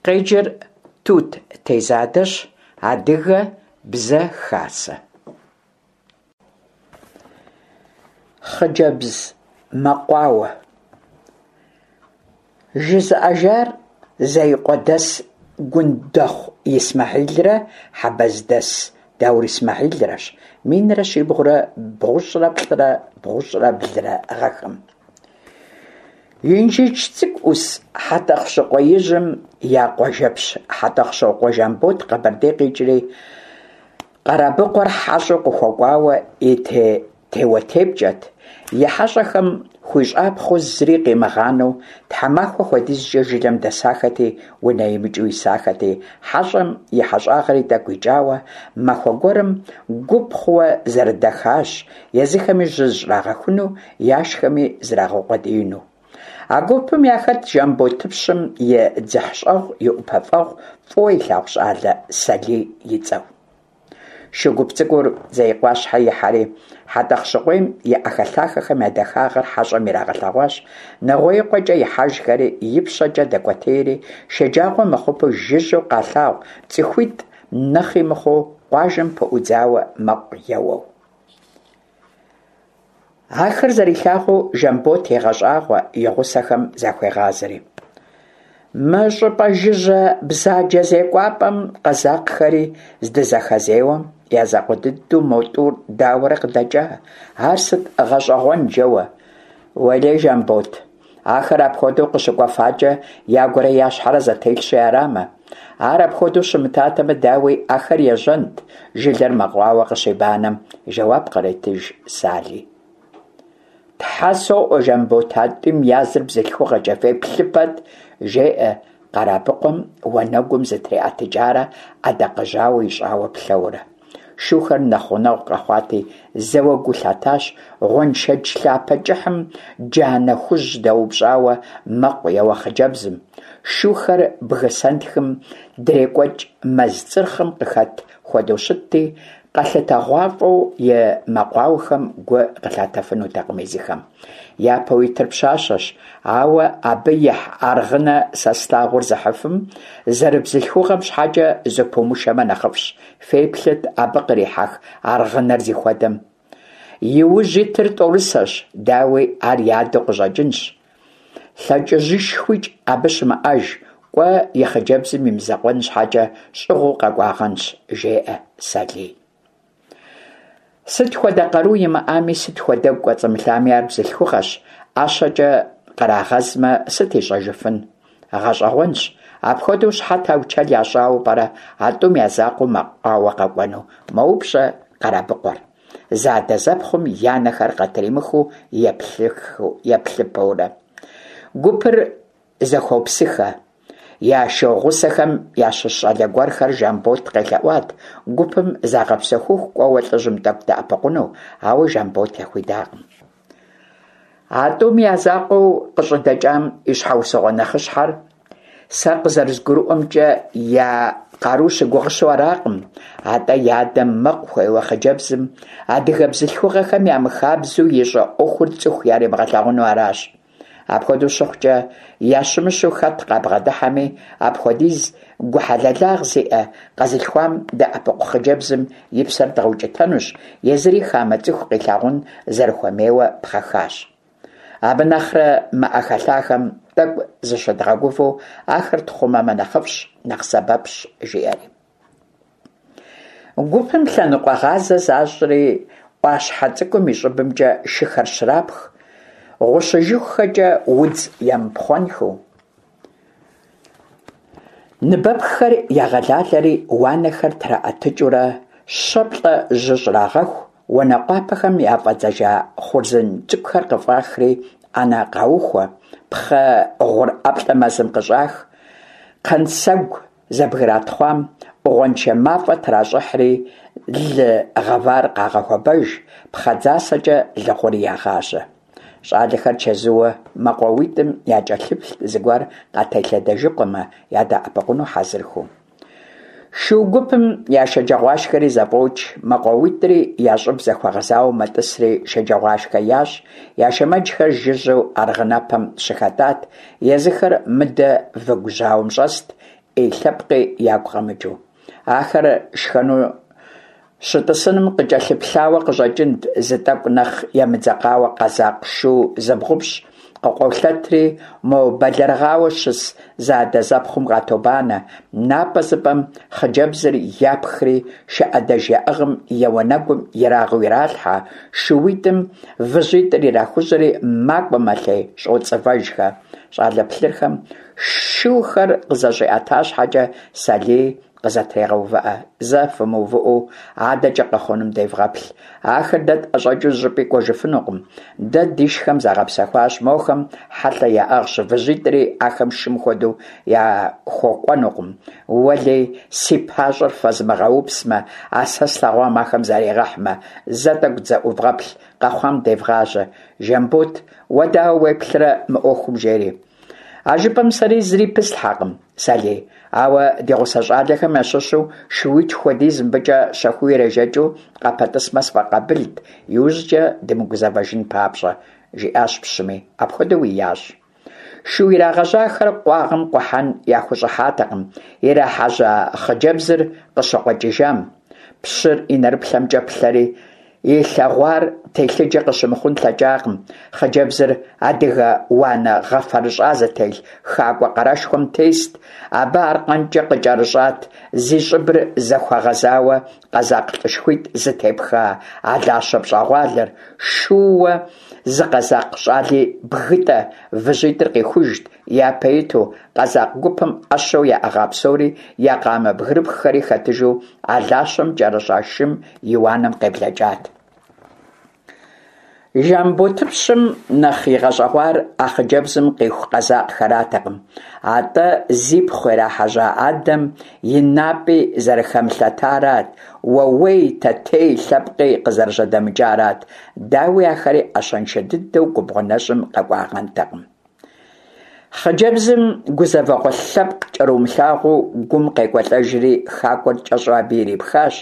Къеджэр Тут Тезадэщ, Адыгэ бзэ хасэ. Хъыджэбз мэкъуауэ. Жызыӏэжар Зеикъуэдэс Гундэхъу Исмэхьилрэ Хьэбэздэс Даур Исмэхьилрэщ, 1323 бгъущӏрэ плӏырэ гъэхэм. Инжыдж Цӏыкӏу ӏус Хьэтӏохъущыкъуеижьым я къуажэпщ Хьэтӏохъущокъуэ Жамбот Къэбэрдей къикӏри, Къэрабыкъуэр хьэщӏэу къыхуэкӏуауэ и теуэтепкӏэт, и хьэщӏэхэм хуищӏапхъэу зыри къимыгъанэу тхьэмахуэ хуэдизкӏэ жылэм дэсахэти, унэ имыкӏыу исахэти, хьэщӏэм и хьэщӏагъэри тӏэкӏу икӏауэ, махуэ гуэрым гуп хъууэ зэрыдэхащ, езыхэми жьы зыщӏрагъэхуну, яшхэми зрагъэукъуэдиину. А гупым яхэтт Жамботыпщым и дзыхьщӏэгъу, и ӏупэфӏэгъу, фӏыуэ илъагъу щӏалэ Салий и цӏэу. Шу гуп цӏыкӏур Зеикъуащхьэ ихьэри, Хьэтӏэхъущыкъуейм и ӏэхэлъахэхэм я дахагъэр хьэщӏэм ирагъэлъэгъуащ, Нэгъуеикъуэкӏэ ихьэжхэри, ипщэкӏэ дэкӏуэтейри, шэджагъуэ мыхъупэу жыжьэу къалъагъу цӏыхуитӏ нэхъи мыхъуу къуажэм пыӏудзауэ мэкъу еуэу. Ахэр зэрилъагъуу Жамбот егъэщӏагъуэ, и гъусэхэм захуегъазэри. Мы щӏыпӏэ жыжьэ бзаджэ зекӏуапӏэм къэзакъхэри здызэхэзеуэм, я закъуэ дыдэу мо тӏур дауэрэ къыдэкӏа? Ар сыт гъэщӏэгъуэн жэуэ? Уэлей, Жамбот, ахэр апхуэдэу къыщыкӏуэфакӏэ ягурэ я щхьэрэ зэтелъщи арамэ. Ар апхуэдэу щымытатэмэ, дауи, ахэр ежьэнт, жылэр мэкъуауэ къыщибанэм, жэуап къретыж Сали. Тхьэ соӏуэ, Жамбот, а тӏум языр бзылъхугъэкӏэ феплъыпэт, жеӏэ Къэрабыкъуэм уанэгум зытриӏэтыкӏарэ ӏэдакъэжьауэ ищӏауэ плъэуэрэ. Шухэр нэхъ гъунэгъу къэхъуати, зэуэ гу лъатащ гъуэншэдж лъапэ кӏыхьым джанэ хужь дэупщӏауэ мэкъу еуэ хъыджэбзым. Шухэр бгы сэнтхым дрекӏуэкӏ мэз цӏырхъым къыхэт хуэдэу щытти, къэлъытэгъуафӏэу и мэкъуауэхэм гу къылъатэфынутэкъым езыхэм. Япэу итыр пщащэщ, ауэ абы ихь аргъынэ сэ слъагъур зыхьыфым зэрыбзылъхугъэм щхьэкӏэ зыпумышэмэ нэхъыфӏщ. Феплъыт абы кърихьэх аргъынэр зихуэдэм. И ужь итыр тӏорысэщ, дауи, ар и адэу къыщӏэкӏынщ. Лъэкӏыжышхуикӏ абы щымыӏэж, кӏуэ и хъыджэбзым и мызакъуэн щхьэкӏэ щӏыгъуу къэкӏуагъэнщ, жеӏэ Салий. Сыт хуэдэ къару имыӏами, сыт хуэдэгу кӏуэцӏымылъами, ар бзылъхугъэщ, ӏэщэкӏэ кърагъэзмэ, сыт ищӏэжыфын? Гъэщӏэгъуэнщ, апхуэдэу щхьэ таучэл ящӏауэ пӏэрэ а тӏум я закъуэу мэкъуауэ къэкӏуэну? мэупщӏэ Къэрабыкъуэр, зэадэзэпхъум я нэхэр къатримыхыу еплъыпэурэ. Гупыр зэхуопсыхэ. Я шу гъусэхэм ящыщ щӏалэ гуэрхэр Жамбот къелъэӏуат гупым загъэпсэхуху кӏуэуэ лӏыжьым тӏэкӏу дэӏэпыкъуну, ауэ Жамбот яхуидакъым. А тӏум я закъуэу къыщӏыдэкӏам и щхьэусыгъуэ нэхъыщхьэр, сэ къызэрызгурыӏуэмкӏэ, я къару щыгугъыщэу аракъым, атӏэ и адэм мэкъу хуеуэ хъыджэбзым адыгэ бзылъхугъэхэм ямыхабзэу ищӏэ ӏуэхур цӏыху яримыгъэлъагъуну аращ. Апхуэдэу щыхъукӏэ, ящымыщу хэт къабгъэдыхьэми, апхуэдиз гухьэлэлагъ зиӏэ къэзылъхуам дэӏэпыкъу хъыджэбзым и псэр дгъэукӏытэнущ, езыри хамэ цӏыху къилъагъун зэрыхуэмейуэ пхъэхащ. Абы нэхърэ мы ӏэхэлъахэм тӏэкӏу зыщыдгъэгувэу ахэр тхъумэмэ нэхъыфӏщ, нэхъ сэбэпщ, жиӏэри. Гупым лъэныкъуэгъазэ защӏри, ӏуащхьэ цӏыкӏум и щӏыбымкӏэ шыхэр щрапх, гъущыжыхухэкӏэ удз емыпхъуэнхэу. Ныбэпххэр ягъэлалэри, уанэхэр траӏэтыкӏыурэ щэ-плӏэ жьы щӏрагъэху, уанэкъуапэхэм яфӏэдзэжа хъурзын цӏыкӏухэр къыфӏахри, ӏэнэ къаухуэ, пхъэ гъур ӏэплӏэ мэзым къыщӏах, кхъэнсэгу Зэбгратхъуам ӏугъуэншэ мафӏэ тращӏыхьри, лы гъэвар къагъэхуэбэж, пхъэдзасэкӏэ лыгъури ягъажьэ. Щӏалэхэр чэзууэ мэкъуауитӏым якӏэлъыплът зыгуэр къателъэдэжыкъуэмэ, ядэӏэпыкъуну хьэзырхэу. Шу гупым я шэджагъуашхэри зэфӏокӏ, мэкъуауитӏри я щӏыб зэхуэгъэзауэ мэтӏысри шэджагъуашхэ ящӏ, я шэмэджхэр жыжьэу аргъынэпэм щыхэтӏат, езыхэр мыдэ выгу жьауэм щӏэст. ӏей лъэпкъи ягу къэмыкӏыу. Ахэр шхэну щытӏысыным къыкӏэлъыплъауэ къыщӏэкӏынт, зы тӏэкӏу нэхъ емыдзэкъауэ къэзакъ шу зыбгъупщӏ къыкъуолъэтри, мо бэлэрыгъауэ щыс зэадэзэпхъум къатобанэ, напӏэзыпӏэм хъыджэбзыр япхри, шы ӏэдэж яӏыгъым и уанэгум ерагъыу иралъхьэ, шууитӏым выжьитӏыр ирахужьэри, макӏуэ-мэлъей, щӏоцӏывэжхэ. Щӏалэ плъырхэм шухэр къызэщӏиӏэта щхьэкӏэ, Сэлий къызэтрегъэувыӏэ. Зэ фымыувыӏэу адэкӏэ къэхъунум девгъэплъ. Ахэр дэ тӏэщӏэкӏыу зыщӏыпӏи кӏуэжыфынукъым. Дэ дишхэм загъэпсэхуащ, мохэм хьэлъэ яӏыгъщ, выжьитӏри ахэм шым хуэдэу яхуэкӏуэнукъым. Уэлей, си пащӏэр фэзмыгъэупсмэ, а сэ слъэгъуам ахэм заригъэхьмэ, зэ тӏэкӏу дызэӏувгъэплъ, къэхъуам девгъажьэ. Жамбот, уэ дауэ уеплърэ мы ӏуэхум, жери. А жыпӏэм сэри зыри пыслъхьэкъым, Сэлий, ауэ ди гъусэ щӏалэхэм ящыщу шууитху хуэдиз мыбыкӏэ щэхуу ирежэкӏыу къапэтӏысмэ сфӏэкъабылт, иужькӏэ дымыгузэвэжын папщӏэ, жиӏащ пщыми, апхуэдэуи ящӏ. Шу ирагъэжьахэр къуагъым къухьэн яхущӏыхьатэкъым, ирахьэжьа хъыджэбзыр къыщыкъуэкӏыжам. Пщыр и нэрыплъэмкӏэ плъэри, Илъэгъуар телъыджэ къыщымыхъун лъэкӏакъым. Хъыджэбзыр адыгэ уанэ гъэфэрыщӏа зытелъ хакӏуэ къарэшхуэм тест. Абы аркъэнкӏэ къыкӏэрыщӏат зи щӏыбыр зэхуэгъэзауэ къэзакъ лӏышхуитӏ зытепха алащэ пщӏэгъуалэр, шууэ зы къэзакъ щӏали бгытӏэ выжьитӏыр къихужт, Япэ иту, къэзакъ гупым ӏэщэу яӏыгъа псори, я къамэ бгырыпххэри хэтыжу, алащэм кӏэрыщӏа шым и уанэм къеблэкӏат. Жамботыпщым нэхъ игъэщӏэгъуар а хъыджэбзым къиху къэзакъхэратэкъым, атӏэ зипхъу ирахьэжьа адэм и напӏи зэрыхэмылъэтарат, уэуей, тэтей лъэпкъи къызэрыжьэдэмыкӏарат. Дауи, ахэри ӏэщэншэ дыдэу губгъуэ нэщӏым къэкӏуагъэнтэкъым. Хъыджэбзым гузэвэгъуэ лъэпкъ кӏэрумылъагъуэу гум къекӏуэлӏэжри, хакӏуэр кӏэщӏу абы ирипхащ,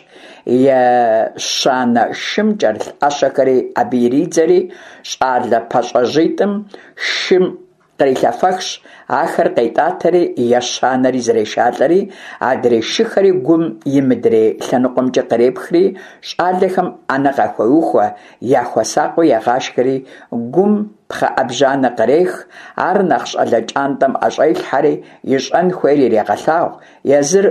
ещанэ шым кӏэрылъ ӏэщэхэри абы иридзэри, щӏалэ пащӏэжьитӏым шым кърилъэфэхщ, ахэр къетӏатэри, ещанэри зрешалӏэри, адрей шыхэри гум и мыдрей лъэныкъуэмкӏэ кърепхри, щӏалэхэм ӏэнэ къахуеухуэ, яхуэсакъыу егъашхэри, гум пхъэ ӏэбжьанэ кърех, ар нэхъ щӏалэ кӏантӏэм ӏэщӏелъхьэри, ищӏэн хуейр ирегъэлъагъу, езыр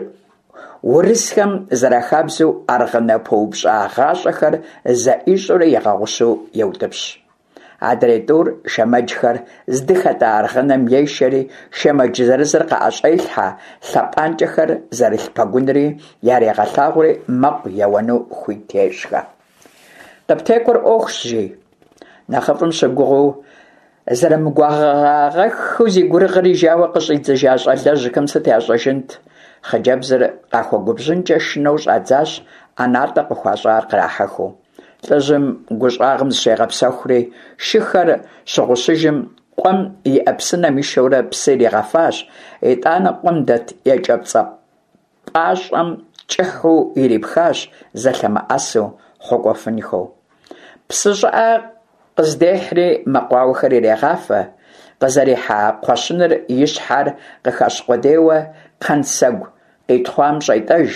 урысхэм зэрахабзэу аргъынэ пыупщӏа гъащӏэхэр зэӏищӏэурэ игъэгъущу еутӏыпщ. Адрей тӏур шэмэджхэр здыхэтӏа аргъынэм ешэри, шэмэдж зырызыр къаӏэщӏелъхьэ, лъэпӏанкӏэхэр зэрылъ пэгунри ярегъэлъагъури мэкъу еуэну хуит ещӏхэ. Къыптекӏуэр ӏуэхущ, жи. Нэхъыфӏым щыгугъыу, зэрымыгугъагъэххэу зи гурыгъыр ижауэ къыщӏидзыжа щӏалэжьхэм сыт ящӏэжынт? Хъыджэбзыр къахуэгубжьынкӏэ шынэу щӏадзащ, ӏэнатӏэ къыхуащӏар кърахьэхыу. Лӏыжьым гу щӏагъым зыщегъэпсэхури, шыхэр щыгъущыжым къуэм иӏэ псынэм ишэурэ псы иригъэфащ, итӏанэ къуэм дэт екӏэпцӏэ пӏащӏэм кӏыхьу ирипхащ, зэлъэмыӏэсу, хъуэкӏуэфынхэу. Псы щӏыӏэ къыздехьри мэкъуауэхэр ирегъафэ, къызэрихьа кхъуэщыныр и щхьэр къыхэщ къудейуэ кхъэнсэгу къитхъуам щӏетӏэж,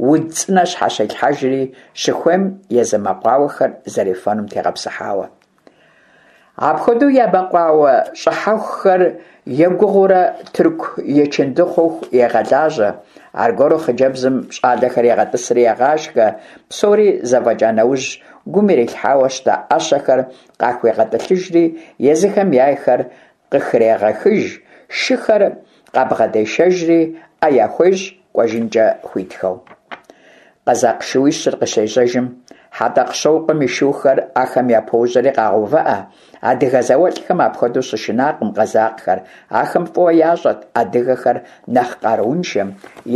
уд цӏынэ щхьэщелъхьэжри, щыхуейм езы мэкъуауэхэр зэрефэнум тегъэпсыхьауэ. Апхуэдэу я мэкъуауэ щӏыхьэхухэр егугъуурэ тырку ечынды хъуху егъэлажьэ. Аргуэру хъыджэбзым щӏалэхэр егъэтӏысри егъашхэ, псори зэфӏэкӏа нэужь, гум ирилъхьауэ щыта ӏэщэхэр къахуегъэтӏылъыжри, езыхэм яйхэр къыхрегъэхыж, шыхэр къабгъэдешэжри, ӏэ яхуещӏ кӏуэжынкӏэ хуитхэу. Къэзакъ шууищыр къыщежьэжым, Хьэтӏэхъущокъуэм и шухэр ахэм япожьэри къагъэувыӏэ. Адыгэ зауэлӏхэм апхуэдэу щышынакъым къэзакъхэр, ахэм фӏыуэ ящӏэрт адыгэхэр нэхъ къарууншэм,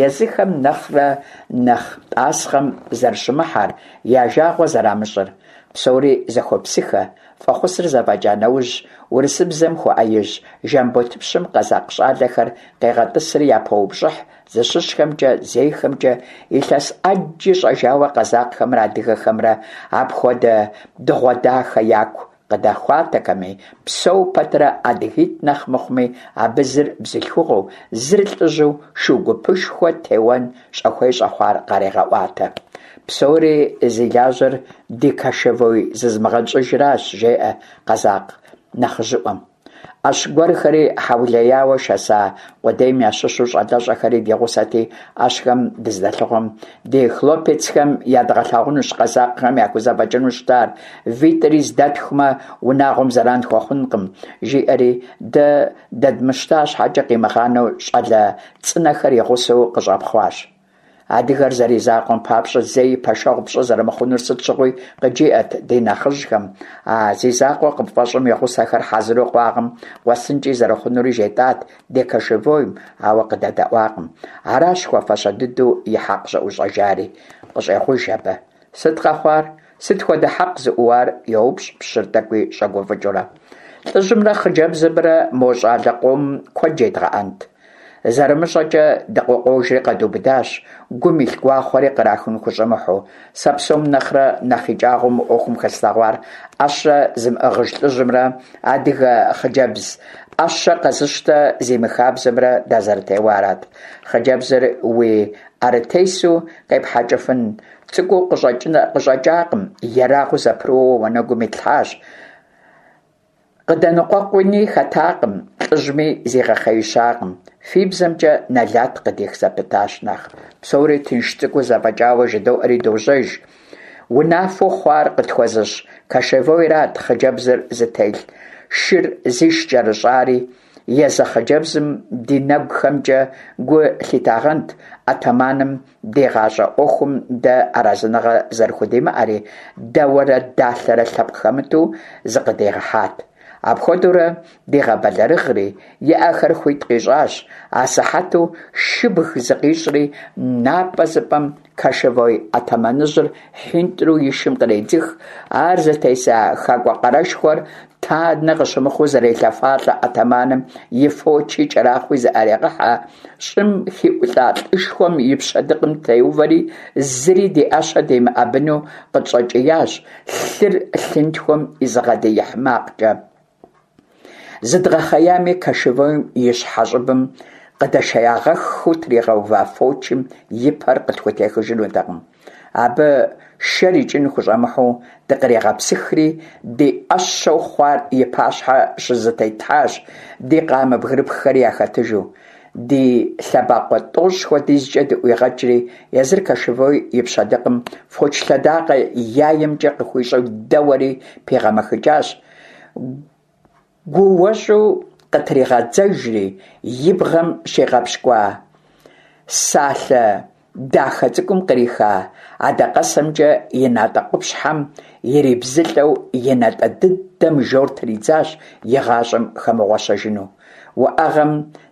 езыхэм нэхърэ нэхъ тӏасхъэм зэрыщымыхьэр, я жагъуэ зэрамыщӏыр. Псори зэхуопсыхэ, фӏэхъусыр зэфӏэкӏа нэужь, урысыбзэм хуэӏэижь Жамботыпщым къэзакъ щӏалэхэр къегъэтӏысри япоупщӏыхь зыщыщхэмкӏэ, зейхэмкӏэ, илъэс ӏэджи щӏэжауэ къэзакъхэмрэ адыгэхэмрэ апхуэдэ дыгъуэ дахэ яку. къыдэхуатэкъыми, псэу пэтрэ адыгитӏ нэхъ мыхъуми, абы зыр бзылъхугъэу, зыр лӏыжьу шу гупышхуэ теуэн щӏэхуей щӏэхъуар къарегъэӏуатэ. Псори зи лажьэр ди кошевой зызымыгъэнщӏыжращ, жеӏэ къэзакъ нэхъыжьыӏуэм. ӏэщ гуэрхэри хьэулеяуэ шэса къудейм ящыщу щӏалэщӏэхэри ди гъусэти, ӏэщхэм дыздэлъыхъуэм ди хлопецхэм ядгъэлъагъунущ къэзакъхэм яхузэфӏэкӏыну щытар, витӏри здэтхумэ, унагъуэм зэран хуэхъункъым, жиӏэри, дэ дэдмыщта щхьэкӏэ къимыгъанэу щӏалэ цӏынэхэр и гъусэу къыщӏэпхъуащ. Адыгэр зэризакъуэм папщӏэ зэи пэшэгъу пщӏы зэрымыхъунур сыт щыгъуи къыджиӏэт ди нэхъыжьхэм. А зи закъуэ къыпфӏэщӏым и гъусэхэр хьэзыру къуагъым къуэсынкӏи зэрыхъунури жетӏат ди кошевойм, ауэ къыдэдэӏуакъым. Аращ хуэфащэ дыдэу и хьэкъ щӏыӏущӏэжари, къыщӏегъуж абы. Сыт къэхъуар? Сыт хуэдэ хьэкъ зыӏууар? йоупщӏ пщыр тӏэкӏуи щӏэгуфӏыкӏыурэ. Лӏыжьымрэ хъыджэбзымрэ мо щӏалэ къомым куэд жедгъэӏэнт. Зэрымыщӏэкӏэ дыкъыкъуожри къэдубыдащ, гум илъ гуахъуэри кърахын хущӏэмыхьу. Сэ псом нэхърэ нэхъ икӏагъэу мы ӏуэхум хэслъэгъуар ӏэщэ зымыӏыгъыж лӏыжьымрэ адыгэ хъыджэбз ӏэщэ къэзыщтэ зимыхабзэмрэ дазэрытеуарат. Хъыджэбзыр уи ӏэрытесу къепхьэкӏыфын цӏыкӏуу къыщӏэкӏакъым, ерагъыу зэпрыууэ уанэгум итлъхьащ. Къыдэныкъуэкъуни хэтакъым, лӏыжьми зигъэхъеищакъым. Фи бзэмкӏэ нэлат къыдих зэпытащ нэхъ. Псори тынш цӏыкӏуу зэфӏэкӏауэ жыдоӏэри дожьэж. Унафэу хъуар къытхуэзыщӏ кошевойрат хъыджэбзыр зытелъ шыр зиш кӏэрыщӏари, езы хъыджэбзым ди нэгухэмкӏэ гу лъитагъэнт атаманым дигъащӏэ ӏуэхум дэ арэзыныгъэ зэрыхудимыӏэри, дауэрэ далъэрэ лъэпкъ хэмыту зыкъыдигъэхьат. Апхуэдэурэ дигъэбэлэрыгъри, и ӏэхэр хуит къищӏащ, асыхьэту шыбг зыкъищӏри, напӏэзыпӏэм кошевой атаманыжьыр хьинтӏру и шым къредзых, ар зытеса хакӏуэ къарэшхуэр танэ къыщымыхъуу зэрелъэфалӏэ атаманым и фочи кӏэрахъуи зыӏэрегъыхьэ, щӏым хиӏулӏа лӏышхуэм и пщэдыкъым теувэри, зыри ди ӏэщэ демыӏэбыну къытщӏэкӏиящ, лъыр лъынтхуэм изыгъэдиихь макъкӏэ. Зыдгъэхъеями, кошевойм и щхьэ щӏыбым къыдэшеягъэххэу тригъэува фочым и пэр къытхутехыжынутэкъым. Абы шэр икӏын хущӏэмыхьу дыкъригъэпсыхри, ди ӏэщэу хъуар и пащхьэ щызэтетлъхьащ, ди къамэ бгырыпххэри яхэтыжу. Ди лъэбакъуэ тӏощӏ хуэдизкӏэ дыӏуигъэкӏри, езыр кошевой и пщэдыкъым фоч лъэдакъэ яемкӏэ къыхуищӏэу дэуэри пигъэмэхыкӏащ. Гууэщӏу къытригъэдзэжри, и бгъэм щигъэпщкӏуа салъэ дахэ цӏыкӏум къриха адакъэсэмкӏэ и натӏэ къупщхьэм ирибзылӏэу и натӏэ дыдэм жор тридзащ и гъащӏэм хэмыгъуэщэжыну. Уӏэгъэм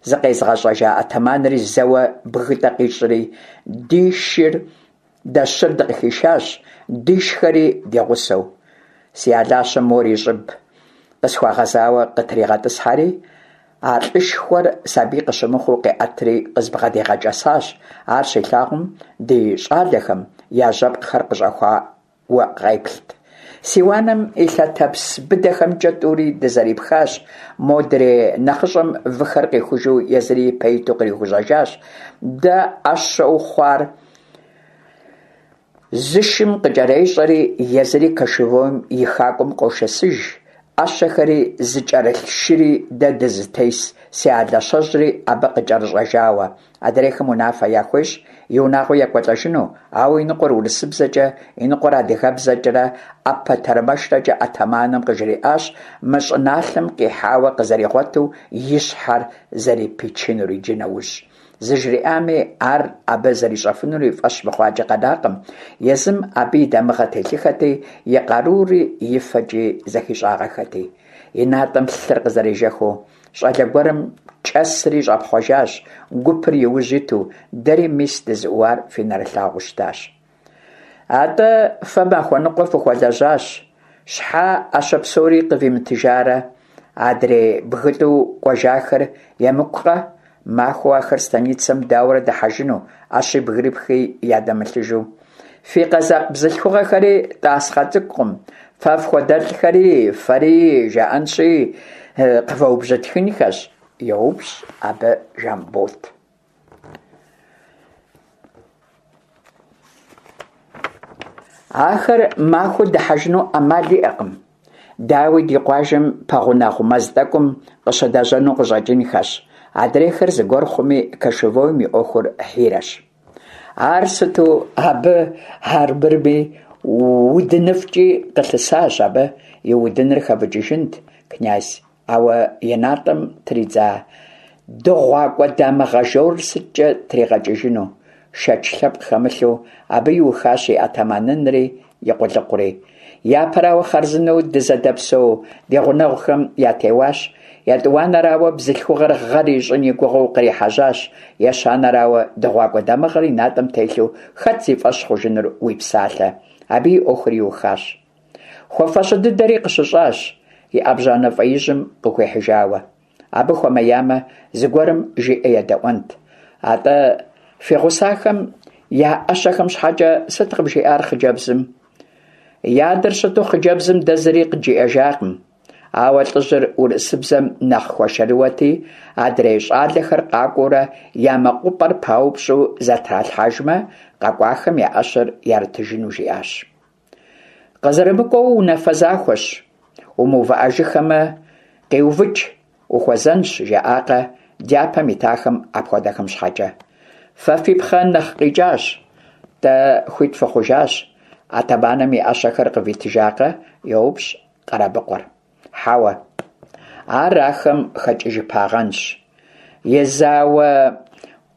зыкъезыгъэщӏэжа атаманри зэуэ бгытӏэ къищӏри, ди шыр Дэ щыр дыкъыхишащ, дишхэри ди гъусэу. Си алащэм мор и щӏыб къысхуэгъэзауэ къытригъэтӏысхьэри, а лӏышхуэр сабий къыщымыхъуу къиӏэтри къызбгъэдигъэкӏэсащ. Ар щилъагъум, ди щӏалэхэм я жьэпкъхэр къыщӏэхуауэ къеплът. Си уанэм и лъэтэпс быдэхэмкӏэ тӏури дызэрипхащ, модрей нэхъыщӏэм выхэр къихужу езыри ипэ иту кърихужьэжащ. Дэ ӏэщэу хъуар Зы шым къыкӏэрещӏэри, езыри кошевойм и хакӏуэм къошэсыж, ӏэщэхэри зыкӏэрылъ шыри дэ дызытес си алащэжьри абы къыкӏэрыщӏэжауэ. Адрейхэм унафэ яхуещӏ и унагъуэ екӏуэлӏэжыну, ауэ иныкъуэр урысыбзэкӏэ, иныкъуэр адыгэбзэкӏэрэ ӏэпэ тэрмэшрэкӏэ атаманым къыжриӏащ мы щӏыналъэм къихьауэ къызэригъуэту и щхьэр зэрипичынур иджы нэужь. Зыжриӏами, ар абы зэрищӏэфынур и фӏэщ мыхъуакӏэ къэнакъым, езым абы и дамыгъэ телъыхэти, и къарури и фэкӏи зэхищӏагъэхэти. И натӏэм лъыр къызэрежэхыу, щӏалэ гуэрым кӏэсри щӏэпхъуэжащ, гупыр и ужь иту, дэри мис дызыӏууар фи нэрылъагъуу щытащ. Атӏэ, фэ махуэ ныкъуэ фыхуэлэжьащ, щхьэ ӏэщэ псори къывимытыжарэ? Адрей бгытӏу кӏуэжахэр емыкӏукъэ? Махуэу ахэр станицэм дауэрэ дыхьэжыну, ӏэщи бгырыпхи ядэмылъыжу? Фи къэзакъ бзылъхугъэхэри тӏасхъэ цӏыкӏукъым. Фэ фхуэдэлӏхэри, фэри жаӏэнщи, къывэубжьытхынхэщ, йоупщӏ абы Жамбот. Ахэр махуэу дыхьэжыну ӏэмал иӏэкъым. Дауи, ди къуажэм пэгъунэгъу мэз тӏэкӏум къыщыдэжьэну къыщӏэкӏынхэщ. Адрейхэр зыгуэр хъуми, кошевойм и ӏуэхур хьирэщ. Ар сыту абы армырми удыныфӏкӏи къылъысащ абы и удыныр хэвыкӏыжынт, князь, ауэ и натӏэм тридза дыгъуакӏуэ дамыгъэ жорыр сыткӏэ тригъэкӏыжыну? Шэч лъэпкъ хэмылъу, абы иухащ и атаманынри и къулыкъури. Япэрауэ, хъарзынэу дызэдэпсэу ди гъунэгъухэм ятеуащ. Етӏуанэрауэ, бзылъхугъэр гъэр ищӏын и гугъэу кърихьэжьащ. Ещанэрауэ, дыгъуакӏуэ дамыгъэр и натӏэм телъу хэт зи фӏэщ хъужынур уи псалъэ? Абы и ӏуэхур иухащ. Хуэфащэ дыдэри къыщыщӏащ, и ӏэбжьанэ фӏеижьым къыхуихьыжауэ. Абы хуэмеямэ, зыгуэрым жиӏэ едэӏуэнт. Атӏэ, фи гъусахэм я ӏэщэхэм щхьэкӏэ сыт къыбжиӏар хъыджэбзым? И адэр щыту хъыджэбзым дэ зыри къыджиӏэжакъым. Ауэ лӏыжьыр урысыбзэм нэхъ хуэшэрыуэти, адрей щӏалэхэр къакӏуэурэ я мэкъупӏэр паупщӏу зэтралъхьэжмэ, къэкӏуахэм я ӏэщэр ярытыжыну жиӏащ. Къызэрымыкӏуэу унафэ захуэщ, умыувыӏэжыххэмэ, къиувыкӏ, ухуэзэнщ, жаӏакъэ дяпэм итахэм апхуэдэхэм щхьэкӏэ. Фэ фи пхъэ нэхъ къикӏащ, дэ хуит фыхъужащ, атаманым и ӏэщэхэр къывитыжакъэ? йоупщӏ Къэрабыкъуэр. Хьэуэ, ар ахэм хэкӏыжыпагъэнщ. И зауэ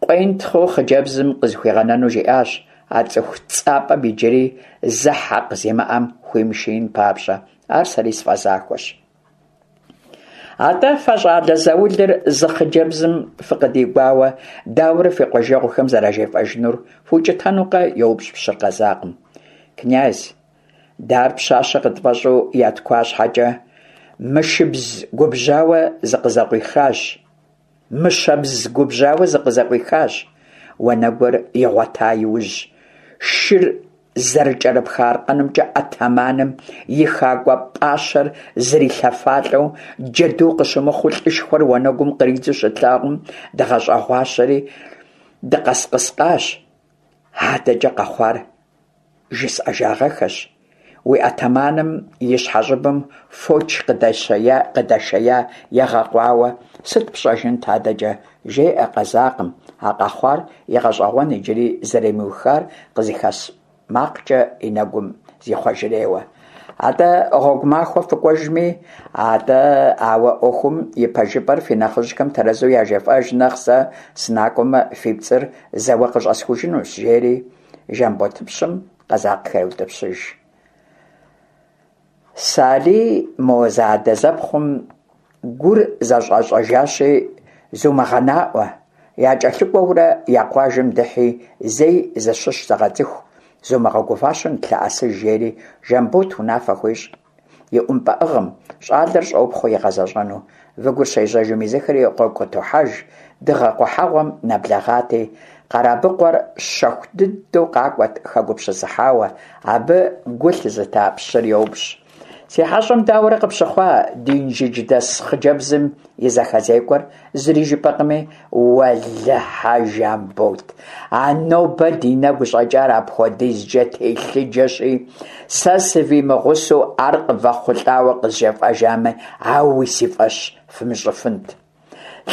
къуентхъыу хъыджэбзым къызыхуигъэнэну жиӏащ, а цӏыху цӏапӏэм иджыри зэ хьэкъ зимыӏэм хуимышиин папщӏэ. Ар сэри сфӏэзахуэщ. Атӏэ, фэ щӏалэ заулыр зы хъыджэбзым фыкъыдигуауэ, дауэрэ фи къуажэгъухэм зэражефӏэжынур, фукӏытэнукъэ? йоупщӏ пщыр къэзакъым. Князь, Дэ ар пщащэ къытфӏэщӏу яткуа щхьэкӏэ, мышыбз губжьауэ зыкъызэкъуихащ. Мыщэбз губжьауэ зыкъызэкъуихащ. Уанэгур игъуэта иужь, шыр зэрыкӏэрыпха аркъэнымкӏэ атаманым и хакӏуэ пӏащэр зрилъэфалӏэу, джэду къыщымыхъуу лӏышхуэр уанэгум къридзу щытлъагъум, дгъэщӏэгъуащэри дыкъэскъыскъащ. Адэкӏэ къэхъуар Жысӏэжагъэххэщ, уи атаманым и щхьэщӏыбым фоч къыдэшея егъэкъуауэ, сыт пщӏэжынт адэкӏэ, жеӏэ къэзакъым, а къэхъуар игъэщӏэгъуэн иджыри зэримыухар къызыхэщ макъкӏэ и нэгум зихъуэжрейуэ. Атӏэ, гъуэгу махуэ фыкӏуэжми, атӏэ, ауэ ӏуэхум и пэжыпӏэр фи нэхъыжьхэм тэрэзу яжефӏэж нэхъ сэ сынакӏуэмэ, фи пцӏыр зэуэ къыщӏэсхужынущ, жери. Жамботыпщым къэзакъхэр еутӏыпщыж. Салий мо зэадэзэпхъум гур зэщӏэщӏэжащи, зумыгъэнаӏуэ, якӏэлъыкӏуэурэ я къуажэм дыхьи, зэи зыщыщ зэгъэцӏыху, зумыгъэгуващэу нытлъэӏэсыж, жери Жамбот унафэ хуещӏ. И ӏумпӏэӏыгъым, щӏалэр щӏопхъуэ игъэзэщӏэну. Выгур щежьэжым езыхэри гъуэгу къытохьэж, дыгъэ къухьэгъуэм нэблэгъати, Къэрабыкъуэр щэху дыдэу къакӏуэт хэгупсысыхьауэ, абы гу лъызыта пщыр йоупщӏ. Си хьэщӏэм дауэрэ къыпщыхъуа ди инжыдждэс хъыджэбзым и зэхэзекӏуэр, зыри жыпӏэкъыми, уэлэхьэ, Жамбот, а нобэ ди нэгу щӏэкӏар апхуэдизкӏэ телъыджэщи, сэ сывимыгъусэу ар къывэхъулӏауэ къызжефӏэжамэ, ауи си фӏэщ фымыщӏыфынт.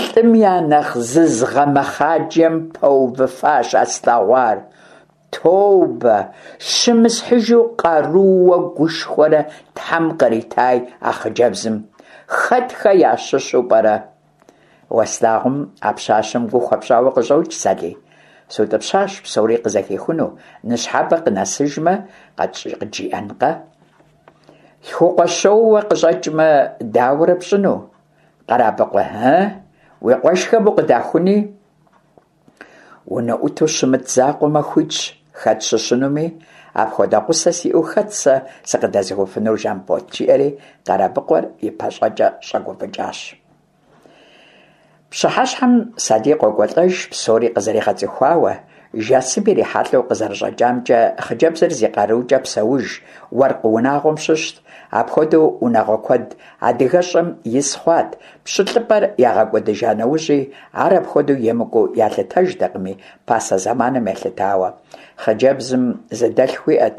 Лӏым я нэхъ зызгъэмэхъаджэм пэувыфащ а слъэгъуар. Тобэ, щымысхьыжу къарууэ гушхуэрэ Тхьэм къритай а хъыджэбзым. Хэтхэ ящыщу пӏэрэ? Уэ слъагъум а пщащэм гу хуэпщӏауэ къыщӏокӏ, Салий. Сутӏыпщащ псори къызэхихуну, ныщхьэбэ къынэсыжмэ, къыджиӏэнкъэ? Лъхукъуэщоуэ къыщӏэкӏмэ, дауэрэ пщӏыну, Къэрабыкъуэ, ы? Уи къуэшхэм укъыдахуни? Унэӏуту щымыт закъуэмэ, хуитщ хэт щыщынуми, апхуэдэ гъусэ сиӏэу хэт сэ сыкъыдэзыхуфынур, Жамбот, жиӏэри Къэрабыкъуэр и пащӏэкӏэ щӏэгуфӏыкӏащ. Пщыхьэщхьэм Салий къокӏуэлӏэж псори къызэригъэцӏыхуауэ. Жасым ирихьэлӏэу къызэрыщӏэкӏамкӏэ, хъыджэбзыр зи къарукӏэ псэуж уэркъ унагъуэм щыщт. Апхуэдэу унагъуэ куэд адыгэщӏым ис хъуат, пщылӏыпӏэр ягъэкӏуэдыжа нэужьи, ар апхуэдэу емыкӏуу ялъытэжтэкъыми, пасэ зэманым елъытауэ. Хъыджэбзым зы дэлъху иӏэт,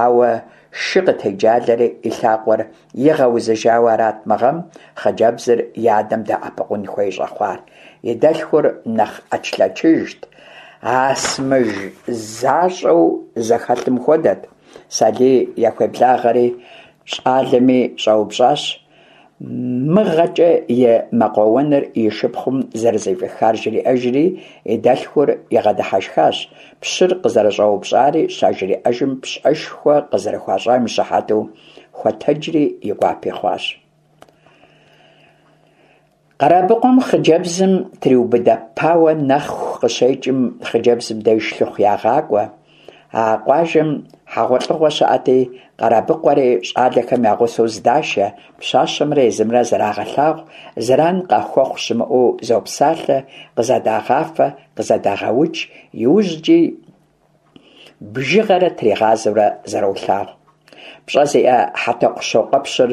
ауэ шы къытеджалэри и лъакъуэр игъэузыжауэ арат мы гъэм хъыджэбзыр и адэм дэӏэпыкъун хуей щӏэхъуар. И дэлъхур нэхъ ӏэчлъэчыжт, асмыж защӏэу зэхэлъым хуэдэт. Салий яхуеблагъэри, щӏалэми щӏэупщӏащ, мыгъэкӏэ и мэкъуэуэныр и шыпхъум зэрызэфӏихар жриӏэжри, и дэлъхур игъэдыхьэшхащ, пщыр къызэрыщӏэупщӏари щажриӏэжым пщӏэшхуэ къызэрыхуащӏам и щыхьэту хуэтэджри и гуапи хъуащ. Къэрабыкъуэм хъыджэбзым триубыдэпауэ нэху къыщекӏым хъыджэбзым деж лъыхъу ягъакӏуэ. А къуажэм хьэгъуэлӏыгъуэ щыӏэти, Къэрабыкъуэри щӏалэхэм я гъусэу здашэ, пщащэмрэ езымрэ зэрагъэлъагъу, зэран къахуэхъу щымыӏэу зопсалъэ, къызэдагъафэ, къызэдагъэудж, иужькӏи бжыгъэрэ тригъазэурэ зэролъагъу. Пщӏэ зиӏэ Хьэтӏохъущокъуэпщыр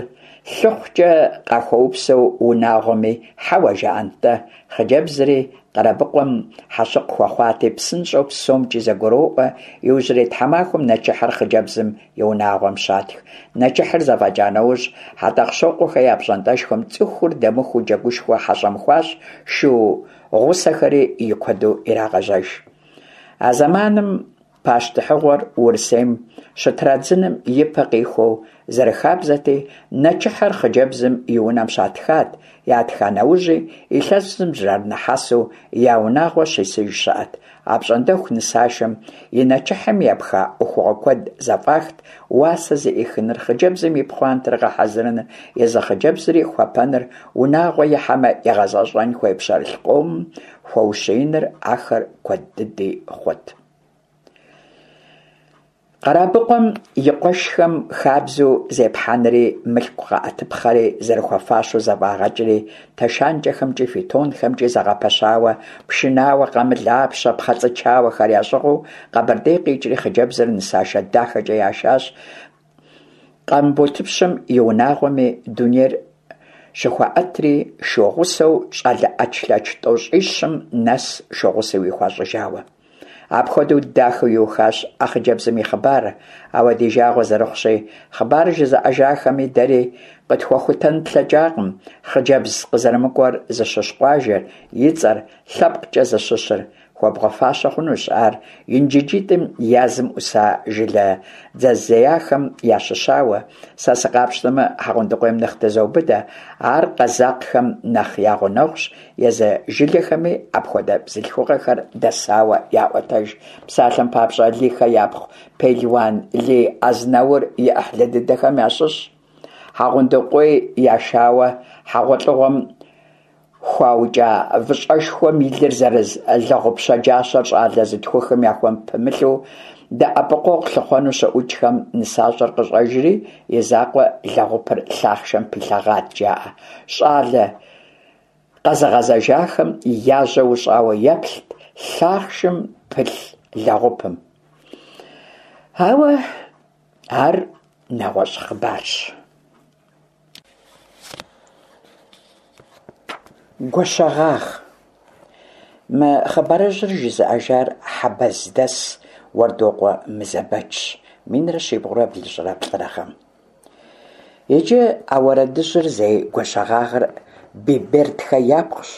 лъыхъукӏэ къахуэупсэу унагъуэми хьэуэ жаӏэнт-тӏэ, хъыджэбзри Къэрабыкъуэм хьэщыкъ хуэхъуати, псынщӏэу псомкӏи зэгуроӏуэ, иужьрей тхьэмахуэм нэчыхьыр хъыджэбзым и унагъуэм щатх. Нэчыхьыр зэфӏэкӏа нэужь, Хьэтӏохъущокъуэхэ я пщӏантӏэшхуэм цӏыхур дэмыхуу джэгушхуэ хьэщӏэм хуащӏ, шу гъусэхэри и куэду ирагъэжьэж. А зэманым пащтыхьыгъуэр Урысейм щытрадзыным и пэ къихуэу зэрыхабзэти, нэчыхьыр хъыджэбзым и унэм щатхат, ятха нэужьи илъэсым зэрынэхьэсу я унагъуэ щисыж щыӏэт. Апщӏондэху нысашэм и нэчыхьым епха ӏуэхугъуэ куэд зэфӏахт, уасэ зэӏихыныр, хъыджэбзым и пхъуантэр гъэхьэзырыныр, езы хъыджэбзри хуэпэныр, унагъуэ ихьэмэ игъэзэщӏэн хуей пщэрылъ къомым хуэущииныр ахэр куэд дыди хъут. Къэрабыкъуэм и къуэшхэм хабзэу зепхьэнри, мылъку къэӏэтыпхъэри зэрыхуэфащэу зэфӏагъэкӏри, тэшанкӏэхэмкӏи фитонхэмкӏи зэгъэпэщауэ, пшынауэ, къамылапщэ, пхъэцӏычауэхэр ящӏыгъуу Къэбэрдей къикӏри хъыджэбзыр нысашэ дахэкӏэ яшащ. Къамботыпщым и унагъуэми дунейр щыхуаӏэтри, шу гъусэу щӏалэ ӏэчлъэч тӏощӏищым нэс шу гъусэуи хуащӏыжауэ. Апхуэдэу дахэу иухащ а хъыджэбзым и хъыбарыр, ауэ ди жагъуэ зэрыхъущи, хъыбар жызыӏэжахэми дэри къытхуэхутэн тлъэкӏакъым хъыджэбз къызэрымыкӏуэр зыщыщ къуажэр, и цӏэр, лъэпкъкӏэ зыщыщыр. Хуэбгъэфащэ хъунущ ар Инжыджитӏым я зым ӏуса жылэ дзэзеяхэм ящыщауэ. Сэ сыкъапщтэмэ, Хьэгъундыкъуейм нэхъ тызоубыдэ, ар къэзакъхэм нэхъ я гъунэгъущ, езы жылэхэми апхуэдэ бзылъхугъэхэр дэсауэ яӏуэтэж. Псалъэм папщӏэ, Лийхэ япхъу Пелуан Лий Азнаур и ӏыхьлы дыдэхэм ящыщщ. Хьэгъундыкъуей яшауэ хьэгъуэлӏыгъуэм Хуаукӏа выщӏэшхуэм и лыр зэрыз лэгъуп щэджащэр щӏалэ зытхухым яхуэпымылъу дэӏэпыкъуэгъу лъыхъуэну щыӏукӏхэм нысащӏэр къыщӏэжри, и закъуэ лэгъупыр лъахъшэм пилъэгъат, жаӏэ. Щӏалэ къэзыгъэзэжахэм я жьэ ущӏауэ еплът лъахъшым пылъ лэгъупым. Ауэ ар нэгъуэщӏ хъыбарщ. Гуащэгъагъ. Мы хъыбарыжьыр жызыӏэжар Хьэбэздэс Уэрдокъуэ Мызэбэчщ, минрэ щибгъурэ блыщӏрэ плӏырэ гъэм. Иджы а уэрэдыжьыр зей Гуащэгъагъыр Бибердхэ япхъущ.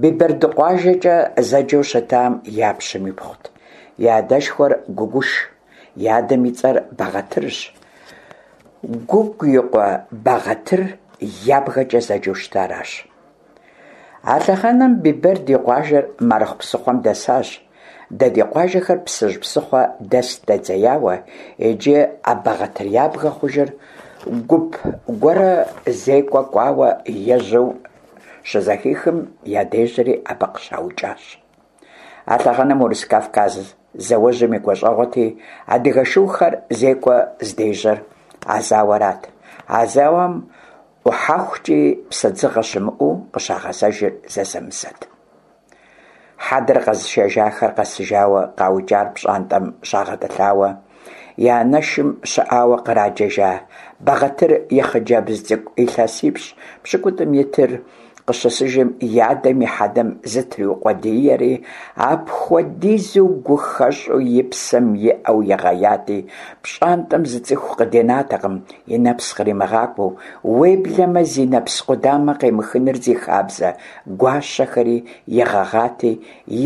Биберды къуажэкӏэ зэджэу щытам я пщым ипхъут. И адэшхуэр Гугуш, и адэм и цӏэр Бэгъэтырщ. Гугу и къуэ Бэгъэтыр ябгэкӏэ зэджэу щытаращ. А лъэхъэнэм Биберд и къуажэр Марыхъу псыхъуэм дэсащ. Дэ ди къуажэхэр Псыжь псыхъуэ дэс дэдзеяуэ, иджы а Бэгъэтыр ябгэ хъужыр гуп гуэрэ зекӏуэ кӏуауэ ежьэу щызэхихым, ядежьэри абы къыщаукӏащ. А лъэхъэнэм Урыс-Кавказ зауэжьым и гуащӏэгъуэти, адыгэ шухэр зекӏуэ здежьэр а зауэрат. А зауэм ӏухьэхукӏи псэдзыгъэ щымыӏэу къыщагъэзэжыр зэзэмызэт. Хьэдэр къэзышэжахэр къэсыжауэ къаукӏар пщӏантӏэм щагъэтӏылъауэ, и анэшым щыӏауэ къраджэжа Бэгъэтыр и хъыджэбз цӏыкӏу илъэсипщӏ-пщыкӏутӏым итыр къыщысыжым и адэм и хьэдэм зытриукъуэдиери, апхуэдизу гухэщӏу и псэм иӏэу игъеяти, пщӏантӏэм зы цӏыху къыденатэкъым и нэпс къримыгъакӏуэу, уеблэмэ зи нэпс къудамэ къемыхыныр зи хабзэ гуащэхэри игъэгъати,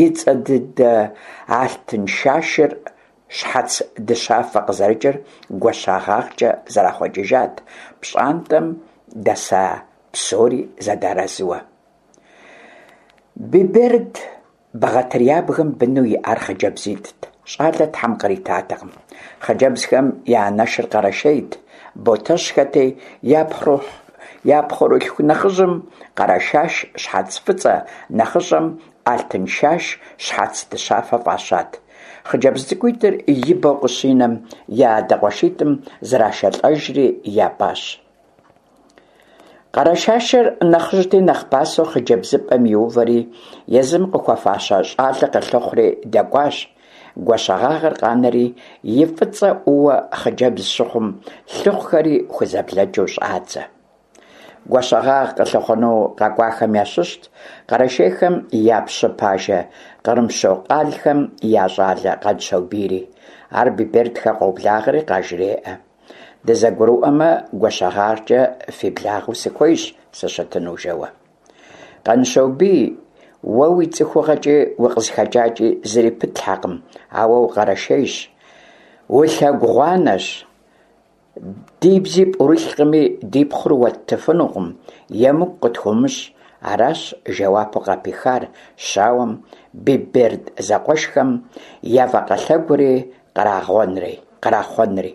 и цӏэ дыдэ Алтыншашыр щхьэц дыщафэ къызэрыкӏыр Гуащэгъагъкӏэ зэрахъуэкӏыжат, пщӏантӏэм дэса псори зэдэарэзыуэ. Биберд Бэгъэтыр ябгэм быну иӏар хъыджэбзитӏт, щӏалэ Тхьэм къритатэкъым. Хъыджэбзхэм я анэшыр къэрэшейт, Ботэщхэти, я пхъурылъху нэхъыжьым Къэрэшаш щхьэц фӏыцӏэ, нэхъыщӏэм Алтыншаш щхьэц дыщафэ фӏащат. Хъыджэбз цӏыкӏуитӏыр ибэу къыщинэм, я адэ къуэшитӏым зрашэлӏэжри япӏащ. Къэрэшашыр нэхъыжьти, нэхъ пасэу хъыджэбзыпӏэм иувэри, езым къыхуэфащэ щӏалэ къылъыхъури дэкӏуащ. Гуащэгъагъыр къанэри, и фӏыцӏэ ӏууэ хъыджэбз щыхъум, лъыхъухэри хузэблэкӏыу щӏадзэ. Гуащэгъагъ къылъыхъуэну къэкӏуахэм ящыщт къэрэшейхэм я пщы пажэ Кърымщокъалхэм я щӏалэ Къанщобийри. Ар Бибердхэ къоблагъэри къажреӏэ. Дызэгурыӏуэмэ, Гуащэгъагъкӏэ фи благъэу сыхуейщ сыщытыну, жэуэ. Къанщобий, уэ уи цӏыхугъэкӏи укъызыхэкӏакӏи зыри пытлъхьэкъым, ауэ укъэрэшейщ, улъэгугъуанэщ, ди бзи пӏурылъкъыми, ди пхъур уэттыфынукъым, емыкӏу къытхуумыщӏ, аращ жэуапу къапихар щауэм Биберд зэкъуэшхэм я вакъэ лъэгури кърахъуэнри.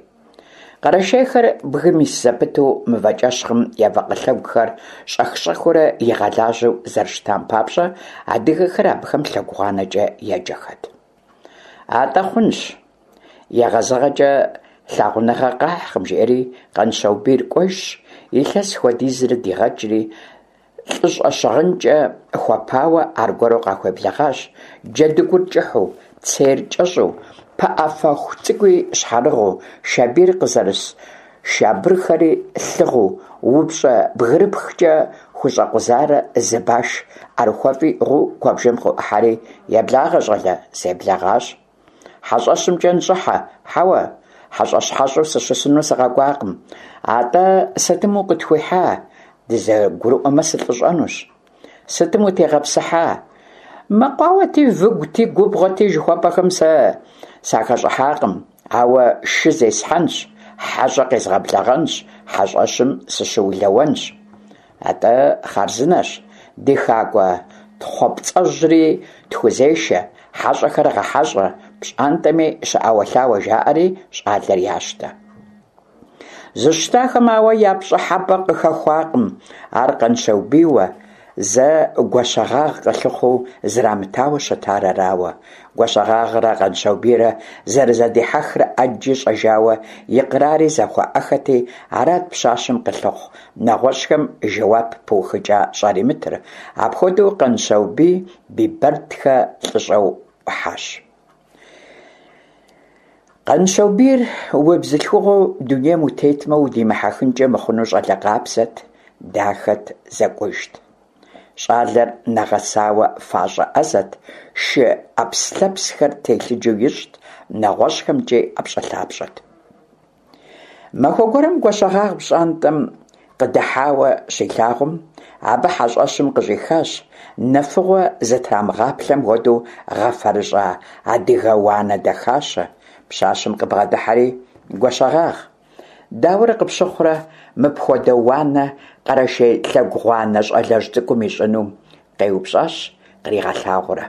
Къэрэшейхэр бгым ис зэпыту мывэкӏэщхъым я вакъэ лъэгухэр щӏэх-щӏэхыурэ игъэлажьэу зэрыщытам папщӏэ, адыгэхэр абыхэм лъэгугъуанэкӏэ еджэхэт. Атӏэ хъунщ, егъэзыгъэкӏэ лъагъуныгъэ къахькъым, жиӏэри Къанщобийр кӏуэжщ, илъэс хуэдизрэ дигъэкӏри, лӏыщӏэ щыгъынкӏэ хуэпауэ аргуэру къахуеблэгъащ, джэдыгур кӏыхьу, цейр кӏэщӏу, пыӏэ фэху цӏыкӏуи щхьэрыгъыу, шабийр къызэрыс шабырхэри лъыгъыу, упщӏэ бгырыпхкӏэ хущӏэкъузарэ зы баш ӏэрыхуэфӏи иӏыгъыу куэбжэм къыӏухьэри, Еблагъэ, щӏалэ, себлэгъащ. Хьэщӏэщымкӏэ ныщӏыхьэ, хьэуэ, хьэщӏэщ-хьэщӏэу сыщысыну сыкъэкӏуакъым. Атӏэ сытым укъытхуихьа? Дызэгурыӏуэмэ, сылӏыщӏэнущ. Сытым утегъэпсыхьа? Мэкъуауэти, выгути, губгъуэти жыхуэпӏэхэм сэ сахэщӏыхьакъым, ауэ шы зесхьэнщ, хьэщӏэ къезгъэблэгъэнщ, хьэщӏэщым сыщыулэуэнщ. Атӏэ хъарзынэщ, ди хакӏуэ тхъуэпцӏэжьри тхузешэ, хьэщӏэхэр гъэхьэщӏэ, пщӏантӏэми щыӏэуэлъауэ жаӏэри щӏалэр ящтэ. Зыщтахэм ауэ я пщӏыхьэпӏэ къыхэхуакъым ар Къанщобийуэ, зэ Гуащэгъагъ къылъыхъуу зрамытауэ щытар арауэ. Гуащэгъагърэ Къанщобийрэ зэрызэдихьэхрэ ӏэджи щӏэжауэ икърари зэхуаӏэхэти, арат пщащэм къылъыхъу нэгъуэщӏхэм жэуап пыухыкӏа щӏаримытыр. Апхуэдэу Къанщобий Бибердхэ лӏыщӏэу ӏухьащ. Къанщобийр убзылъхугъэу дунейм утетмэ удимыхьэхынкӏэ мыхъуну щӏалэ къабзэт, дахэт, зэкӏужт. Щӏалэр нэгъэсауэ фащӏэ ӏэзэт, шы ӏэпслъэпсхэр телъыджэу ищӏт, нэгъуэщӏхэмкӏи ӏэпщӏэлъапщӏэт. Махуэ гуэрым Гуащэгъагъ пщӏантӏэм къыдыхьауэ щилъагъум, абы хьэщӏэщым къыщӏихащ, нэфыгъуэ зытрамыгъаплъэм хуэдэу гъэфэрыщӏа адыгэ уанэ дахащэ. Пщащэм къыбгъэдыхьэри, Гуащэгъагъ, дауэрэ къыпщыхъурэ мыпхуэдэ уанэ къэрэшей лъэгугъуанэ щӏалэжь цӏыкӏум ищӏыну? къеупщӏащ къригъэлъагъуурэ.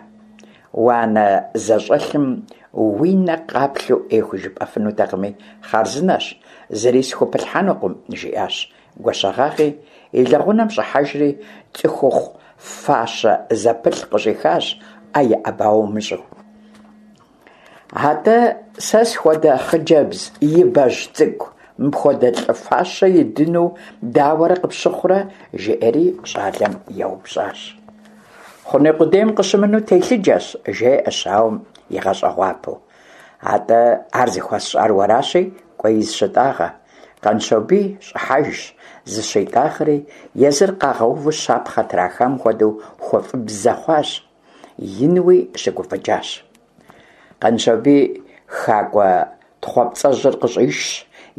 Уанэ зэщӏэлъым уи нэ къаплъэу ӏей хужыпӏэфынутэкъыми, хъарзынэщ, зыри схупылъхьэнукъым, жиӏащ Гуащэгъагъи, и лэгъунэм щӏыхьэжри, цӏыхухъу фащэ зэпылъ къыщӏихащ, ӏэ иӏэбауэ умыщӏэу. Атӏэ сэ схуэдэ хъыджэбз ибэжь цӏыкӏу мыпхуэдэ лӏы фащэ идыну дауэрэ къыпщыхъурэ? жиӏэри щӏалэм еупщӏащ. Хъуней къудейм къыщымынэу телъыджэщ, жеӏэ щауэм игъэщӏэгъуапэу. Атӏэ ар зыхуэсщӏар уэращи, кӏуэи зыщытӏагъэ. Къанщобий щӏыхьэжщ, зыщитӏагъэри, езыр къагъэуву щапхъэ трахам хуэдэу хуэфӏыбзэ хъуащ, инуи щыгуфӏыкӏащ. Къанщобий хакӏуэ тхъуэпцӏэжьыр къыщӏишщ,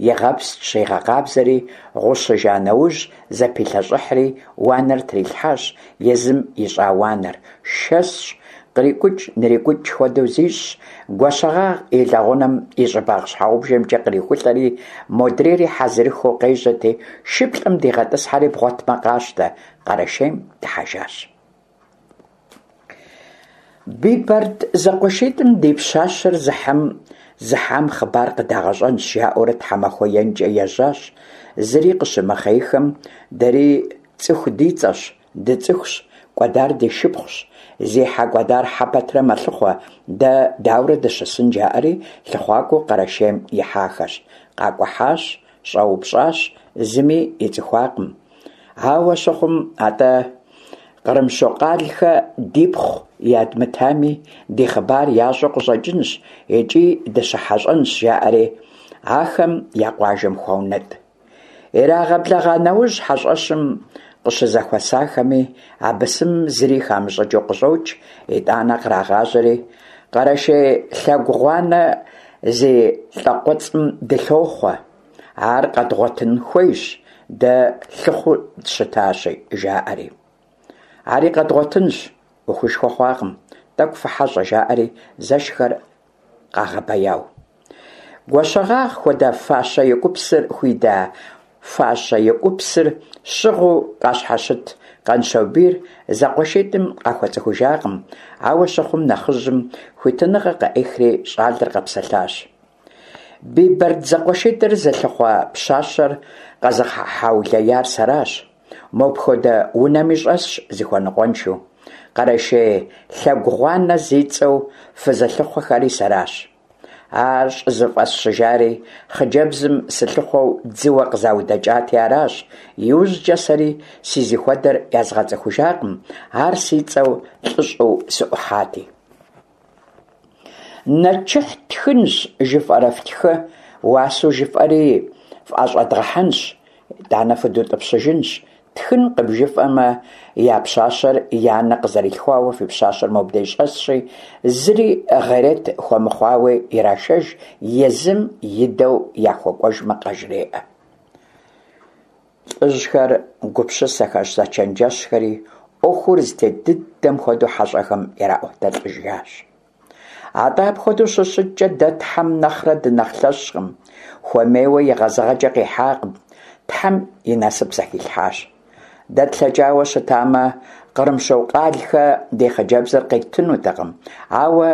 игъэпскӏщ, игъэкъабзэри, гъущыжа нэужь зэпилъэщӏыхьри, уанэр трилъхьащ, езым ищӏа уанэр. Шэсщ, кърикӏукӏ-нрикӏукӏ хуэдэу зищӏщ, Гуащэгъагъ и лэгъунэм и щӏыбагъ щхьэгъубжэмкӏэ кърихулӏэри, модрейри хьэзырыххэу къежьэти, шыплӏэм дигъэтӏысхьэри бгъуэтмэ къащтэ, Къэрэшейм дыхьэжащ. Бибэрд зэкъуэшитӏым ди пщащэр зыхьым зыхьам хъыбар къыдагъэщӏэнщ, жаӏэурэ тхьэмахуэ енкӏэ ежьащ. Зыри къыщымыхъейхэм, дэри цӏыху ди цӏэщ, дыцӏыхущ, кӏуэдар ди шыпхъущ, зи хьэ кӏуэдар хьэ пэтрэ мэлъыхъуэ, дэ даурэ дыщысын, жаӏэри лъыхъуакӏуэу Къэрэшейм ихьахэщ. Къакӏухьащ, щӏэупщӏащ, зыми ицӏыхуакъым. Ауэ щыхъум, атӏэ, Кърымщокъалхэ дипхъу ядмытами, ди хъыбар ящӏэу къыщӏэкӏынщ икӏи дыщыхьэщӏэнщ, жаӏэри, ахэм я къуажэм хуаунэтӏ. Ирагъэблэгъа нэужь хьэщӏэщым къыщызэхуэсахэми а бысымым зыри хамыщӏыкӏыу къыщӏокӏ, итӏанэ кърагъажьэри, Къэрэшей Лъэгугъуанэ зи лӏакъуэцӏым дылъохъуэ. Ар къэдгъуэтын хуейщ, дэ лъыхъуу дыщытащи, жаӏэри. Ари къэдгъуэтынщ, ӏуэхушхуэ хъуакъым, тӏэкӏу фыхьэщӏэ, жаӏэри зэшхэр къагъэбэяу. Гуащэгъагъ хуэдэ фащэ екӏупсыр хуида фащэ екӏупсыр щыгъыу къащхьэщыт Къанщобийр зэкъуэшитӏым къахуэцӏыхужакъым, ауэ щыхъум нэхъыжьым хуитыныгъэ къыӏихри щӏалэр къэпсэлъащ. Бибэрд зэкъуэшитӏыр зылъыхъуэ пщащэр къэзыгъэхьэулеяр сэращ. Мопхуэдэ унэми щӏэсщ зыхуэныкъуэншэу. Къэрэшей Лъэгугъуанэ зи цӏэу фызылъыхъуэхэри сэращ. Ар щӏызыфӏэсщыжари хъыджэбзым сылъыхъуэу дзыуэ къызаудэкӏати аращ, иужькӏэ сэри сизыхуэдэр язгъэцӏыхужакъым, ар си цӏэу лӏыщӏэу сыӏухьати. Нэчыхь ттхынщ жыфӏэрэ фтхы, уасэу жыфӏэри фӏэщӏэдгъэхьэнщ, итӏанэ фыдутӏыпщыжынщ. Ттхынкъым жыфӏэмэ, я пщащэр я анэ къызэрилъхуауэ фи пщащэр мобдей щӏэсщи, зыри гъерет хуэмыхъуауи ирашэж, езым идэу яхуэкӏуэжмэ къажреӏэ. Лӏыжьхэр гупсысэхэщ, зэчэнджэщхэри, ӏуэхур зытет дыдэм хуэдэу хьэщӏэхэм ираӏуэтэлӏыжащ. Атӏэ апхуэдэу щыщыткӏэ дэ Тхьэм нэхърэ дынэхъ лъэщкъым, хуэмейуэ егъэзыгъэкӏэ къихьакъым, Тхьэм и насып зэхилъхьащ. Дэ тлъэкӏауэ щытамэ, Кърымщокъалхэ ди хъыджэбзыр къеттынутэкъым, ауэ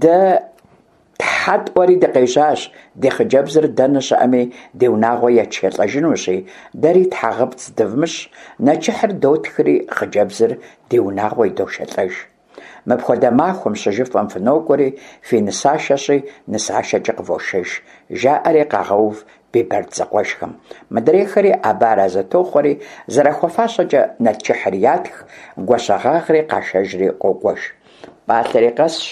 Дэ тхьэ тӏуэри дыкъежьащ, ди хъыджэбзыр дэнэ щыӏэми ди унагъуэ етшэлӏэжынущи, дэри тхьэгъэпцӏ дывмыщӏ, нэчыхьыр дотхри хъыджэбзыр ди унагъуэ идошэлӏэж. Мыпхуэдэ махуэм щыжыфӏэм фынокӏуэри, фи нысашэщи, нысашэкӏэ къывошэж, жаӏэри къагъэув Бибэрд зэкъуэшхэм. Мыдрейхэри абы арэзы тохъуэри, зэрахуэфащэкӏэ нэчыхьыр ятх, Гуащэгъагъри къашэжри къокӏуэж. Пӏалъэри къэсщ,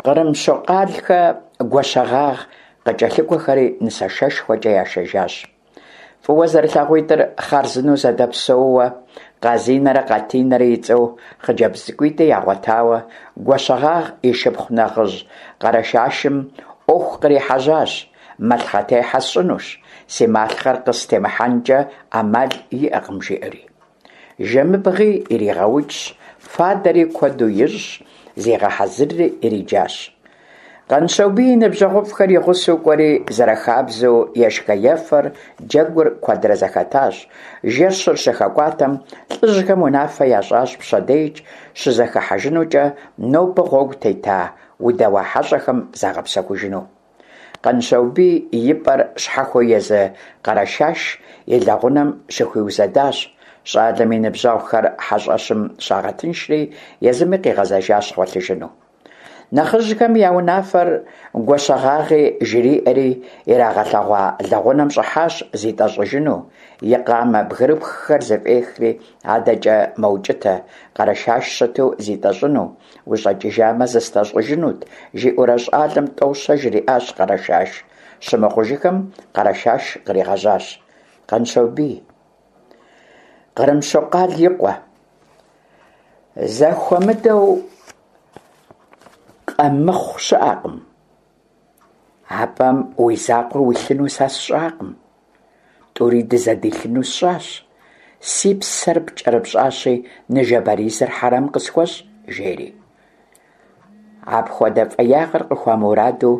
Кърымщокъалхэ Гуащэгъагъ къыкӏэлъыкӏуэхэри нысашэшхуэкӏэ яшэжащ. Фӏыуэ зэрылъагъуитӏыр хъарзынэу зэдэпсэууэ, Къазинэрэ Къатинэрэ и цӏэу хъыджэбз цӏыкӏуитӏи ягъуэтауэ, Гуащэгъагъ и шыпхъу нэхъыжь Къэрэшашым ӏуэху кърихьэжьащ, Малъхъэтехьэ сщӏынущ, си малъхъэр къыстемыхьэнкӏэ ӏэмал иӏэкъым, жиӏэри. Жэмыбгъи иригъэукӏщ, фадэри куэду ищӏщ, зигъэхьэзырри ириджащ. Къанщобий и ныбжьэгъуфӏхэр и гъусэу кӏуэри, зэрыхабзэу ешхэ-ефэр, джэгур куэдрэ зэхэтащ. Жэщыр щыхэкӏуатэм, лӏыжьхэм унафэ ящӏащ пщэдей щызэхыхьэжынукӏэ нобэ гъуэгу тета удэуа хьэщӏэхэм загъэпсэхужыну. Къанщобий и пӏэр щхьэхуэу езы Къэрэшаш и лэгъунэм щыхуиузэдащ. Щӏалэм и ныбжьэгъухэр хьэщӏэщым щагъэтыншри, езыми къигъэзэжащ гъуэлъыжыну. Нэхъыжьхэм я унафэр Гуащэгъагъи жриӏэри, ирагъэлъэгъуа лэгъунэм щӏыхьащ зитӏэщӏыжыну, и къамэ бгырыпххэр зыфӏехри, адэкӏэ мэукӏытэ, Къэрэшаш щыту зитӏэщӏыну, ущӏэкӏыжамэ, зыстӏэщӏыжынут, жиӏэурэ щӏалэм тӏэу-щэ жриӏащ Къэрэшаш. Щымыхъужыхэм Къэрэшаш къригъэжьащ. Къанщобий. Кърымщокъал и къуэ. Зэхуэмыдэу къэмыхъу щыӏэкъым. А пӏэм уи закъуэ уилъыну сэ сщӏакъым. Тӏури дызэдилъыну сщӏащ. Си псэр пкӏэрыпщӏащи, ныжэбэризыр хьэрэм къысхуэщӏ, жери. Апхуэдэ фӏеягъэр къыхуамураду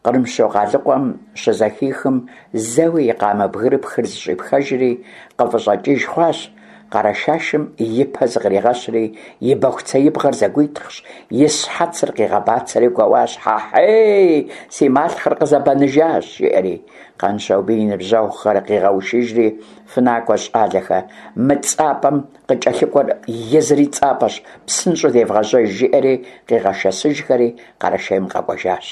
Кърымщокъалыкъуэм щызэхихым, зэуи и къамэ бгырыпхыр зыщӏипхэжри, къыфӏыщӏэкӏыж хъуащ, Къэрэшашым и пэ зыкъригъэщри, и бэхуцеибгъэр зэгуитхъщ, и щхьэцыр къигъэбацэри гуэуащ: Хьэхьей, си малъхъэр къызэбэныжащ, жиӏэри. Къанщобий и ныбжьэгъухэр къигъэушыжри, Фынакӏуэ, щӏалэхэ, мы цӏапӏэм къыкӏэлъыкӏуэр езыри цӏапӏэщ, псынщӏэу девгъэжьэж, жиӏэри къигъэшэсыжхэри Къэрэшейм къэкӏуэжащ.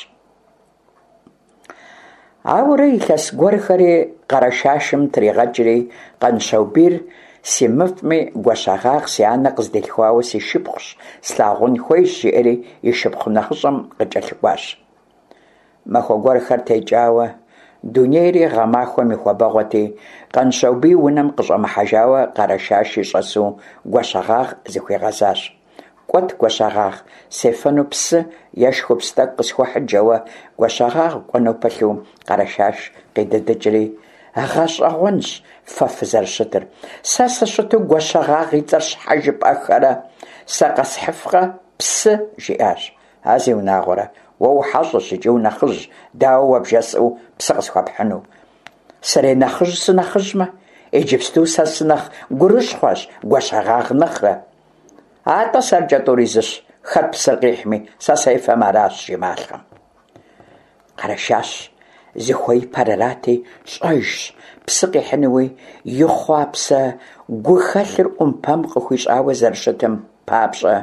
Ауэрэ илъэс гуэрхэри Къэрэшашым тригъэкӏри, Къанщобийр симыфӏми, Гуащэгъагъ си анэ къыздилъхуауэ си шыпхъущ, слъагъун хуейщ, жиӏэри и шыпхъу нэхъыщӏэм къыкӏэлъыкӏуащ. Махуэ гуэрхэр текӏауэ, дунейри гъэмахуэм и хуабэгъуэти, Къанщобий унэм къыщӏэмыхьэжауэ Къэрэшаши щӏэсу Гуащэгъагъ зыхуигъэзащ. Кӏуэт, Гуащэгъагъ, сефэну псы е шхупс тӏэкӏу къысхуэхьыт, жэуэ Гуащэгъагъ кӏуэну пылъу Къэрэшаш къидыдыкӏри, Гъэщӏэгъуэнщ фэ фызэрыщытыр. Сэ сыщыту Гуащэгъагъ и цӏэр щхьэ жыпӏэххэрэ? Сэ къэсхьыфкъэ псы? жиӏащ. А зиунагъуэрэ, уэ ухьэщӏэщ икӏи унэхъыжь, дауэ уэ бжесӏэу псы къысхуэпхьыну? Сренэхъыжь сынэхъыжьмэ, иджыпсту сэ сынэхъ гурыщхъуэщ Гуащэгъагъ нэхърэ. Атӏэ сэркӏэ тӏури зыщ, хэт псыр къихьми, сэ сефэм аращ, жи малъхъэм. Къэрэшаш зыхуеипэр арати, щӏэжщ, псы къихьынуи, и хъуапсэ гухэлъыр ӏумпэм къыхуищӏауэ зэрыщытым папщӏэ,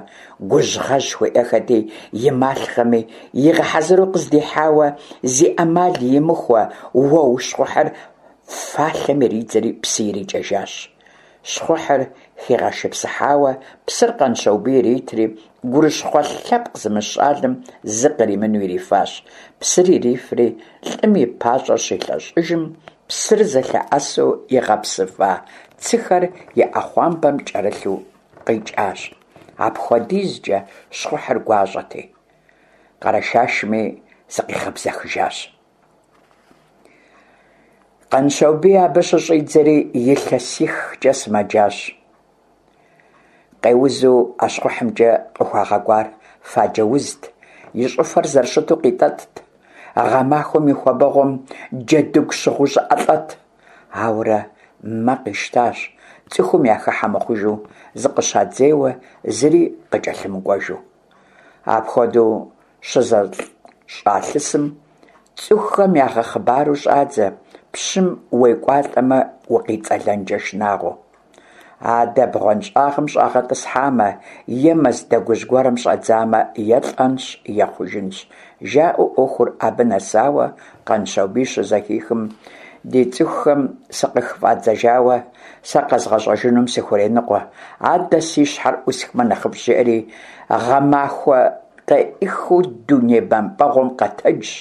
гужьгъэжь хуиӏэхэти, и малъхъэми игъэхьэзыру къыздихьауэ, зи ӏэмал имыхуэ уэу щхъухьыр фалъэм иридзэри псы ирикӏэжащ. Щхъухьыр хигъэшыпсыхьауэ псыр Къанщобий иритри, гурыщхъуэ лъэпкъ зымыщӏ щӏалэм зы къримыну ирифащ. Псыр ирифри, лӏым и пащӏэр щилъэщӏыжым, псыр зылъэӏэсу игъэпсыфа цыхэр и ӏэхъуамбэм кӏэрылъу къикӏащ. Апхуэдизкӏэ щхъухьыр гуащӏэти, Къэрэшашми зыкъигъэбзэхыжащ. Къанщобий абы щыщӏидзэри илъэсихкӏэ сымэджащ. Къеузу а щхъухьымкӏэ къыхуагъэкӏуар фаджэ узт, и щӏыфэр зэрыщыту къитӏэтӏт, гъэмахуэм и хуабэгъуэм джэдыгу щыгъыу щӏыӏэ лӏэт. Ауэрэ мэ къищтащ, цӏыхум яхыхьэ мыхъужу, зыкъыщадзейуэ зыри къыкӏэлъымыкӏуэжу. Апхуэдэу щызэщӏалъысым, цӏыхухэм ягъэхъыбару щӏадзэ, пщым уекӏуалӏэмэ, укъицӏэлэнкӏэ шынагъуэу. Адэ бгъуэнщӏагъым щӏагъэтӏысхьамэ е мэз дэгужь гуэрым щӏадзамэ, е лӏэнщ, е хъужынщ, жаӏэу ӏуэхур абы нэсауэ Къанщобий щызэхихым, ди цӏыхухэм сыкъыхыфӏадзэжауэ сэ къэзгъэщӏэжынум сыхуреныкъуэ, адэ си щхьэр ӏусхмэ нэхъыфӏщ, жиӏэри, гъэмахуэ къеӏыхыу дуней бэмпӏэгъуэм къэтэджщ,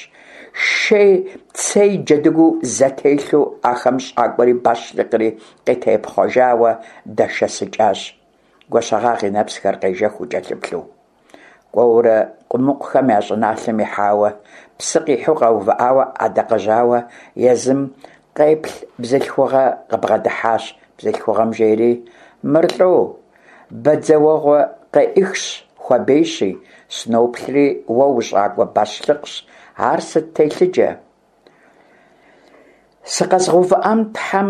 шей цей джэдыгуу зэтелъу ахэм щӏакӏуэри бащлъыкъри къытепхъуэжауэ дэшэсыкӏащ, Гуащэгъагъ и нэпсхэр къежэхыу кӏэлъыплъу. Кӏуэурэ къумыкъухэм я щӏыналъэм ихьауэ, псы къихьу къэувыӏауэ ӏэдакъэжьауэ езым къеплъ бзылъхугъэ къыбгъэдыхьащ. Бзылъхугъэм жери, Мыр лӏо, бадзэуэгъуэ къеӏыхщ, хуабейщи, сыноплъри, уэ ущӏакӏуэ бащлъыкъщ, ар сыт телъыджэ? Сыкъэзгъэувыӏам Тхьэм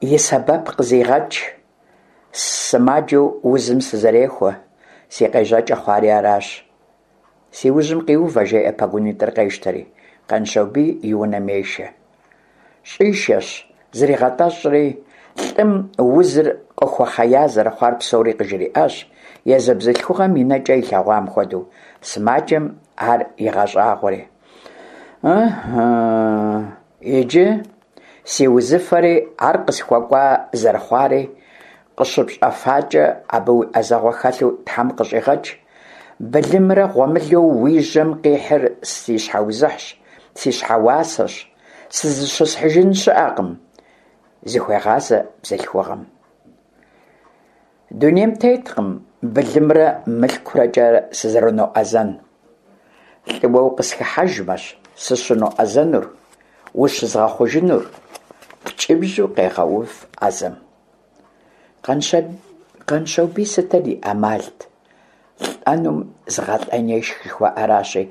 и сэбэп къызигъэкӏ. Сымаджэу узым сызэрехуэ, си къежьэкӏэ хъуари аращ. Си ужьым къиувэ, жеӏэ пэгунитӏыр къещтэри, Къанщобий и унэм ешэ. Щӏишэщ, зригъэтӏэщӏри, лӏым узыр къыхуэхъея зэрыхъуар псори къыжриӏащ, езы бзылъхугъэм и нэкӏэ илъэгъуам хуэдэу. Сымаджэм ар игъэщӏагъуэри. Ыхьы, иджы си узыфэри ар къысхуэкӏуа зэрыхъуари къыщыпщӏэфакӏэ, абы уи ӏэзэгъуэ хэлъу Тхьэм къыщӏигъэкӏ. Былымрэ гъуэмылэу уи жьэм къихьыр си щхьэузыхьщ, си щхьэуасэщ, сызыщысхьыжын щыӏэкъым, зыхуегъазэ бзылъхугъэм. Дунейм теткъым былымрэ мылъкурэкӏэ сызэрыноӏэзэн. Лӏыуэ укъысхыхьэжмэщ сыщыноӏэзэнур, ущызгъэхъужынур, ткӏыбжьу къегъэув ӏэзэм. Къанщобий сытыр и ӏэмалт? Лӏэнум зыгъэлӏэн ешх жыхуаӏэращи,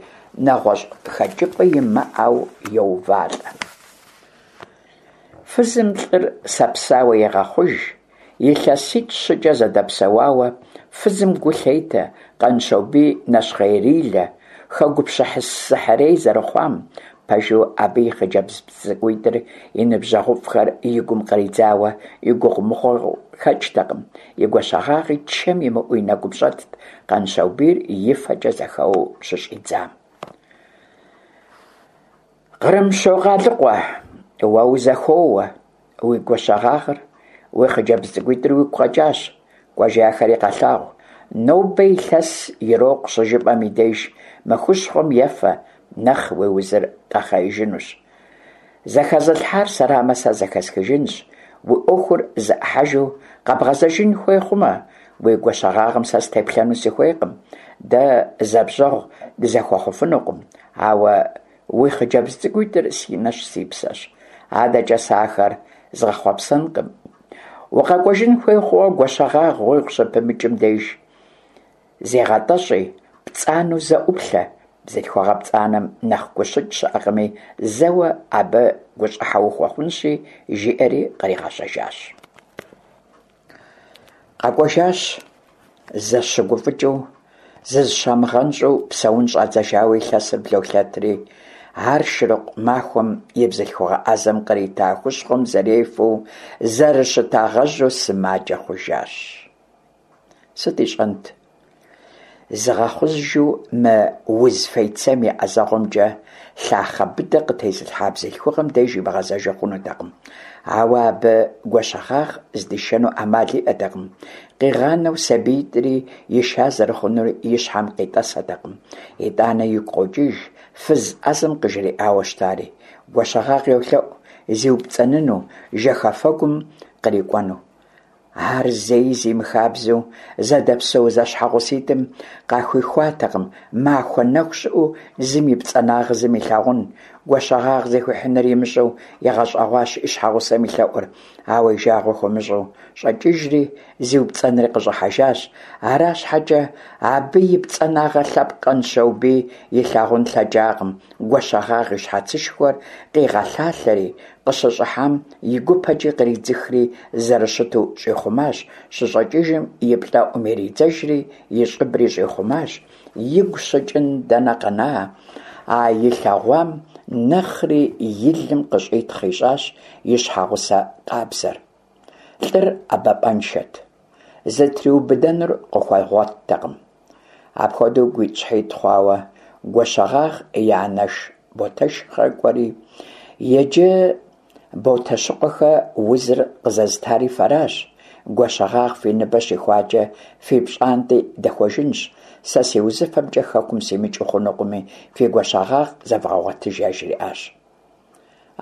нэгъуэщӏ хэкӏыпӏэ имыӏэу йоувалӏэ. Фызым лӏыр сапсауэ егъэхъуж, илъэситӏ-щыкӏэ зэдэпсэуауэ, фызым гу лъетэ Къанщобий нэщхъейрилэ, хэгупсысыхьрей зэрыхъуам. Пэжу, абы и хъыджэбз цӏыкӏуитӏыр, и ныбжьэгъуфӏхэр и гум къридзауэ и гугъу мыхъуу хэкӏтэкъым, и Гуащэгъагъи чэм имыӏэу и нэгум щӏэтт, Къанщобийр и фэкӏэ зэхэуэу щыщӏидзам. Кърымщокъалыкъуэ, уэ узэхоуэ, уи Гуащэгъагъыр, уи хъыджэбз цӏыкӏуитӏыр уигу къэкӏащ, кӏуэжи ахэри къэлъагъу. Нобэ илъэс ирокъу щыжыпӏэм и деж мы хущхъуэм ефэ, нэхъ уи узыр къэхъеижынущ. Зэхэзылъхьар сэрамэ, сэ зэхэсхыжынщ, уи ӏуэхур зэӏыхьэжу къэбгъэзэжын хуей хъумэ, уи Гуащэгъагъым сэ сытеплъэну сыхуейкъым, дэ зэбжьэгъу дызэхуэхъуфынукъым, ауэ уи хъыджэбз цӏыкӏуитӏыр си нэщ, си псэщ. Адэкӏэ сэ ахэр згъэхъуэпсэнкъым. Укъэкӏуэжын хуей хъууэ Гуащэгъагъ уигу щыпымыкӏым деж зегъэтӏэщӏи, пцӏанэу зэ ӏуплъэ. Бзылъхугъэ пцӏанэм нэхъ гущыкӏ щыӏэкъыми, зэуэ абы гущӏыхьэ ухуэхъунщи, жиӏэри къригъэжьэжащ. Къэкӏуэжащ зэщыгуфӏыкӏыу, зызыщамыгъэнщӏу псэун щӏадзэжауэ илъэсыр блолъэтри, ар шырыкъу махуэм и бзылъхугъэ ӏэзэм кърита хущхъуэм зэрефэу зэрыщытагъэжьу сымаджэ хъужащ. Сыт ищӏэнт? Зыгъэхъужу мы уз фейцейм и ӏэзэгъуэмкӏэ лъахъэ быдэ къытезылъхьа бзылъхугъэм деж имыгъэзэжу хъунутэкъым. Ауэ абы Гуащэгъагъ здишэну ӏэмал иӏэтэкъым. Къигъанэу сабиитӏри иша зэрыхъунур и щхьэм къитӏэсэтэкъым. Итӏанэ игу къокӏыж фыз ӏэзэм къыжриӏауэ щытари. Гуащэгъагъ йолъэӏу зиупцӏэныну, жэхэфэгум кърикӏуэну. Ар зэи зимыхабзэу зэдэпсэу зэщхьэгъуситӏым къахуихуатэкъым махуэ нэху щыӏэу зым и пцӏанагъэ зым илъагъун. Гуащэгъагъ зыхуихьынур имыщӏэу игъэщӏэгъуащ и щхьэгъусэм и лъэӏур, ауэ и жагъуэ хуэмыщӏу щӏэкӏыжри, зиупцӏэнри къыщӏыхьэжащ. Ара щхьэкӏэ абы и пцӏанагъэ лъэпкъ Къанщобий илъагъун лъэкӏакъым, Гуащэгъагъ и щхьэцышхуэр къигъэлъалъэри, къыщыщӏыхьам и гупэкӏи къридзыхри зэрыщыту щӏихъумащ, щыщӏэкӏыжым и плӏэӏум иридзэжри и щӏыбри щӏихъумащ, игу щыкӏын дэнэ къэна, а илъэгъуам нэхъри и лым къыщӏитхъ ищӏащ и щхьэгъусэ къабзэр. Лӏыр ӏэбапӏэншэт, зытриубыдэнур къыхуэгъуэттэкъым. Апхуэдэу гуитӏщхьитӏ хъуауэ Гуащэгъагъ и анэш Ботэшхэ кӏуэри, иджы Ботэщыкъуэхэ узыр къызэзытари фэращ, Гуащэгъагъ фи ныбэ щихуакӏэ фи пщӏантӏи дэхуэжынщ, сэ си узыфэмкӏэ хэкум симыкӏыу хъунукъыми, фи Гуащэгъагъ зэвгъэгъуэтыж яжриӏащ.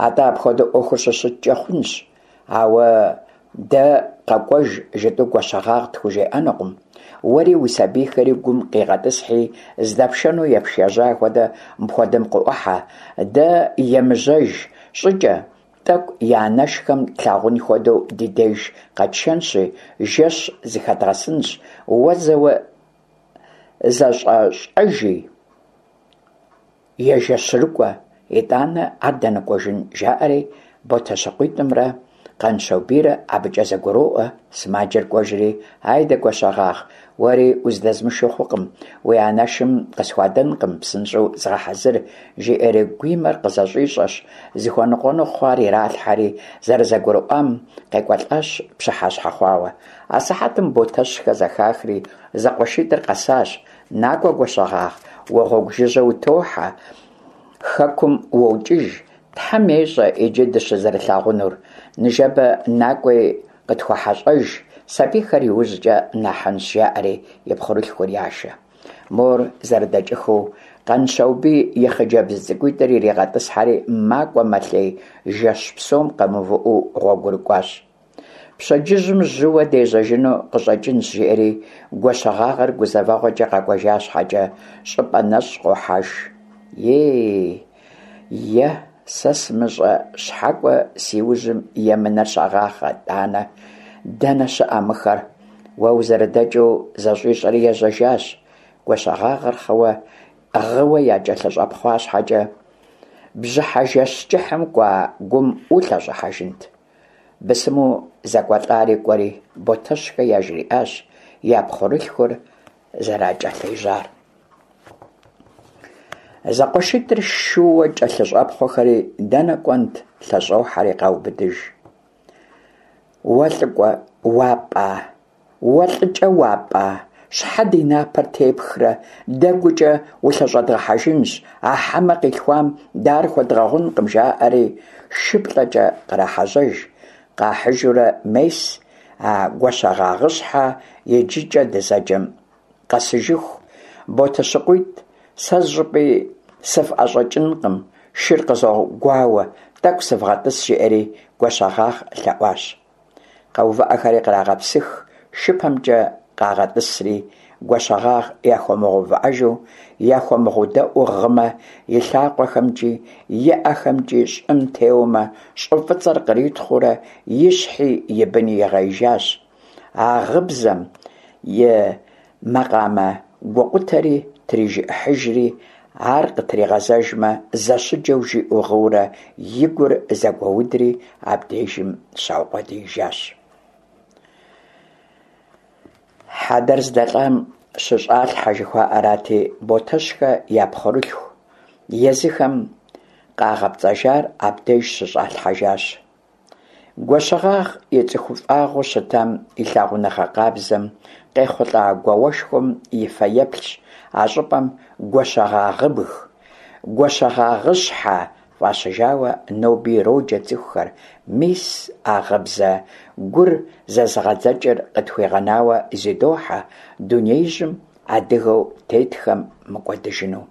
Атӏэ апхуэдэу ӏуэхур щыщыткӏэ хъунщ, ауэ дэ къэкӏуэж жытӏэу Гуащэгъагъ тхужеӏэнукъым. Уэри уи сабийхэри гум къигъэтӏысхьи, здэпшэну епшэжьа хуэдэ мыпхуэдэм къыӏухьэ, дэ емыжьэж щӏыкӏэ, тӏэкӏу я анэшхэм тлъагъун хуэдэу ди деж къэтшэнщи, жэщ зыхэдгъэсынщ, уэ зэуэ зэщӏэщӏэжи. Ежэщырыкӏуэ, итӏанэ ар дэныкӏуэжын, жаӏэри Ботэщыкъуитӏымрэ Къанщобийрэ абыкӏэ зэгуроӏуэ, сымаджэр кӏуэжри, Айдэ, Гуащэгъагъ, уэри уздэзмышэу хъукъым, уи анэшым къысхуадэнкъым, псынщӏэу зыгъэхьэзыр, жиӏэри гуимэр къызэщӏищӏэщ, зыхуэныкъуэну хъуар иралъхьэри, зэрызэгурыӏуам къекӏуэлӏащ пщыхьэщхьэ хъуауэ. Асыхьэтым Ботэщхэ зэхахри, зэкъуэшитӏыр къэсащ. Накӏуэ, Гуащэгъагъ, уэ гъуэгу жыжьэ утохьэ, хэкум уокӏыж, Тхьэм ещӏэ иджы дыщызэрылъагъунур. Ныжэбэ накӏуи къытхуэхьэщӏэж, сабийхэр иужькӏэ нахьынщ, жаӏэри и пхъурылъхур яшэ. Мор зэрыдэкӏыхыу, Къанщаубий и хъыджэбз цӏыкӏуитӏыр иригъэтӏысхьэри макӏуэ-мэлъей, жэщ псом къэмыувыӏэу гъуэгурыкӏуащ. Пщэдджыжьым жьыуэ дежьэжыну къыщӏэкӏынщ, жиӏэри, Гуащэгъагъыр гузэвэгъуэкӏэ къэкӏуэжа щхьэкӏэ, щӏыпӏэ нэщӏ къохьэж. Ей, е, сэ сымыщӏэ щхьэкӏуэ си ужьым емынэр щагъахъэ, тӏанэ, дэнэ щыӏэ мыхэр? Уэ узэрыдэкӏыу зэщӏищӏэри ежьэжащ. Гуащэгъагъыр хъыуэ, гъыуэ якӏэлъыщӏэпхъуа щхьэкӏэ, бжьыхьэ жэщ кӏыхьым кӏуа гум улъэщӏыхьэжынт. Бысыму зэкӏуэлӏари кӏуэри, Ботэщхэ яжриӏащ я пхъурылъхур зэракӏэлъежьар. Зэкъуэшитӏыр шууэ кӏэлъыщӏэпхъуэхэри, дэнэ кӏуэнт, лъэщӏохьэри къаубыдыж. Уэ лӏыкӏуэ уапӏа? Уэ лӏыкӏэ уапӏа? Щхьэ ди напэр тепхрэ? Дэ гукӏэ улъэщӏэдгъэхьэжынщ, а хьэмэ къилъхуам дэ ар хуэдгъэгъункъым, жаӏэри шыплӏэкӏэ кърахьэжьэж. Къахьыжурэ мес а Гуащэгъагъыщхьэ иджыкӏэ дызэджэм къэсыжыху, Ботэщыкъуитӏ, сэ зыщӏыпӏи сыфӏэщӏэкӏынкъым, шыр къызогуауэ, тӏэкӏу сывгъэтӏыс, жиӏэри Гуащэгъагъ лъэӏуащ. Къэувыӏэхэри кърагъэпсых, шыпэмкӏэ къагъэтӏысри, Гуащэгъагъ яхуэмыгъэувыӏэжу, яхуэмыгъэдэӏуу гъымэ, и лъакъуэхэмкӏи, и ӏэхэмкӏи щӏым теуэмэ, щӏы фӏыцӏэр къритхъуурэ и щхьи и быни игъеижащ. А гъыбзэм и макъамэ гукъутэри трижыӏыхьыжри, ар къытригъэзэжмэ, зэщыджэу жиӏэу гъыурэ и гур зэгуэудри абдежым щаукъуэдиижащ. Хьэдэр здэлӏам щыщӏалъхьэ жыхуаӏэрати, Ботэщхэ я пхъурылъху езыхэм къагъэпцӏэжар абдеж щыщӏалъхьэжащ. Гуащэгъагъ и цӏыхуфӏагъыу щытам, и лъагъуныгъэ къабзэм, къехъулӏа гуауэшхуэм и фэеплъщ а щӏыпӏэм Гуащэгъагъыбг, Гуащэгъагъыщхьэ фӏащыжауэ ноби ироджэ цӏыхухэр, мис а гъыбзэ гур зэзыгъэдзэкӏыр къытхуигъэнауэ зыдохьэ дунеижьым адыгэу тетхэм мыкӏуэдыжыну.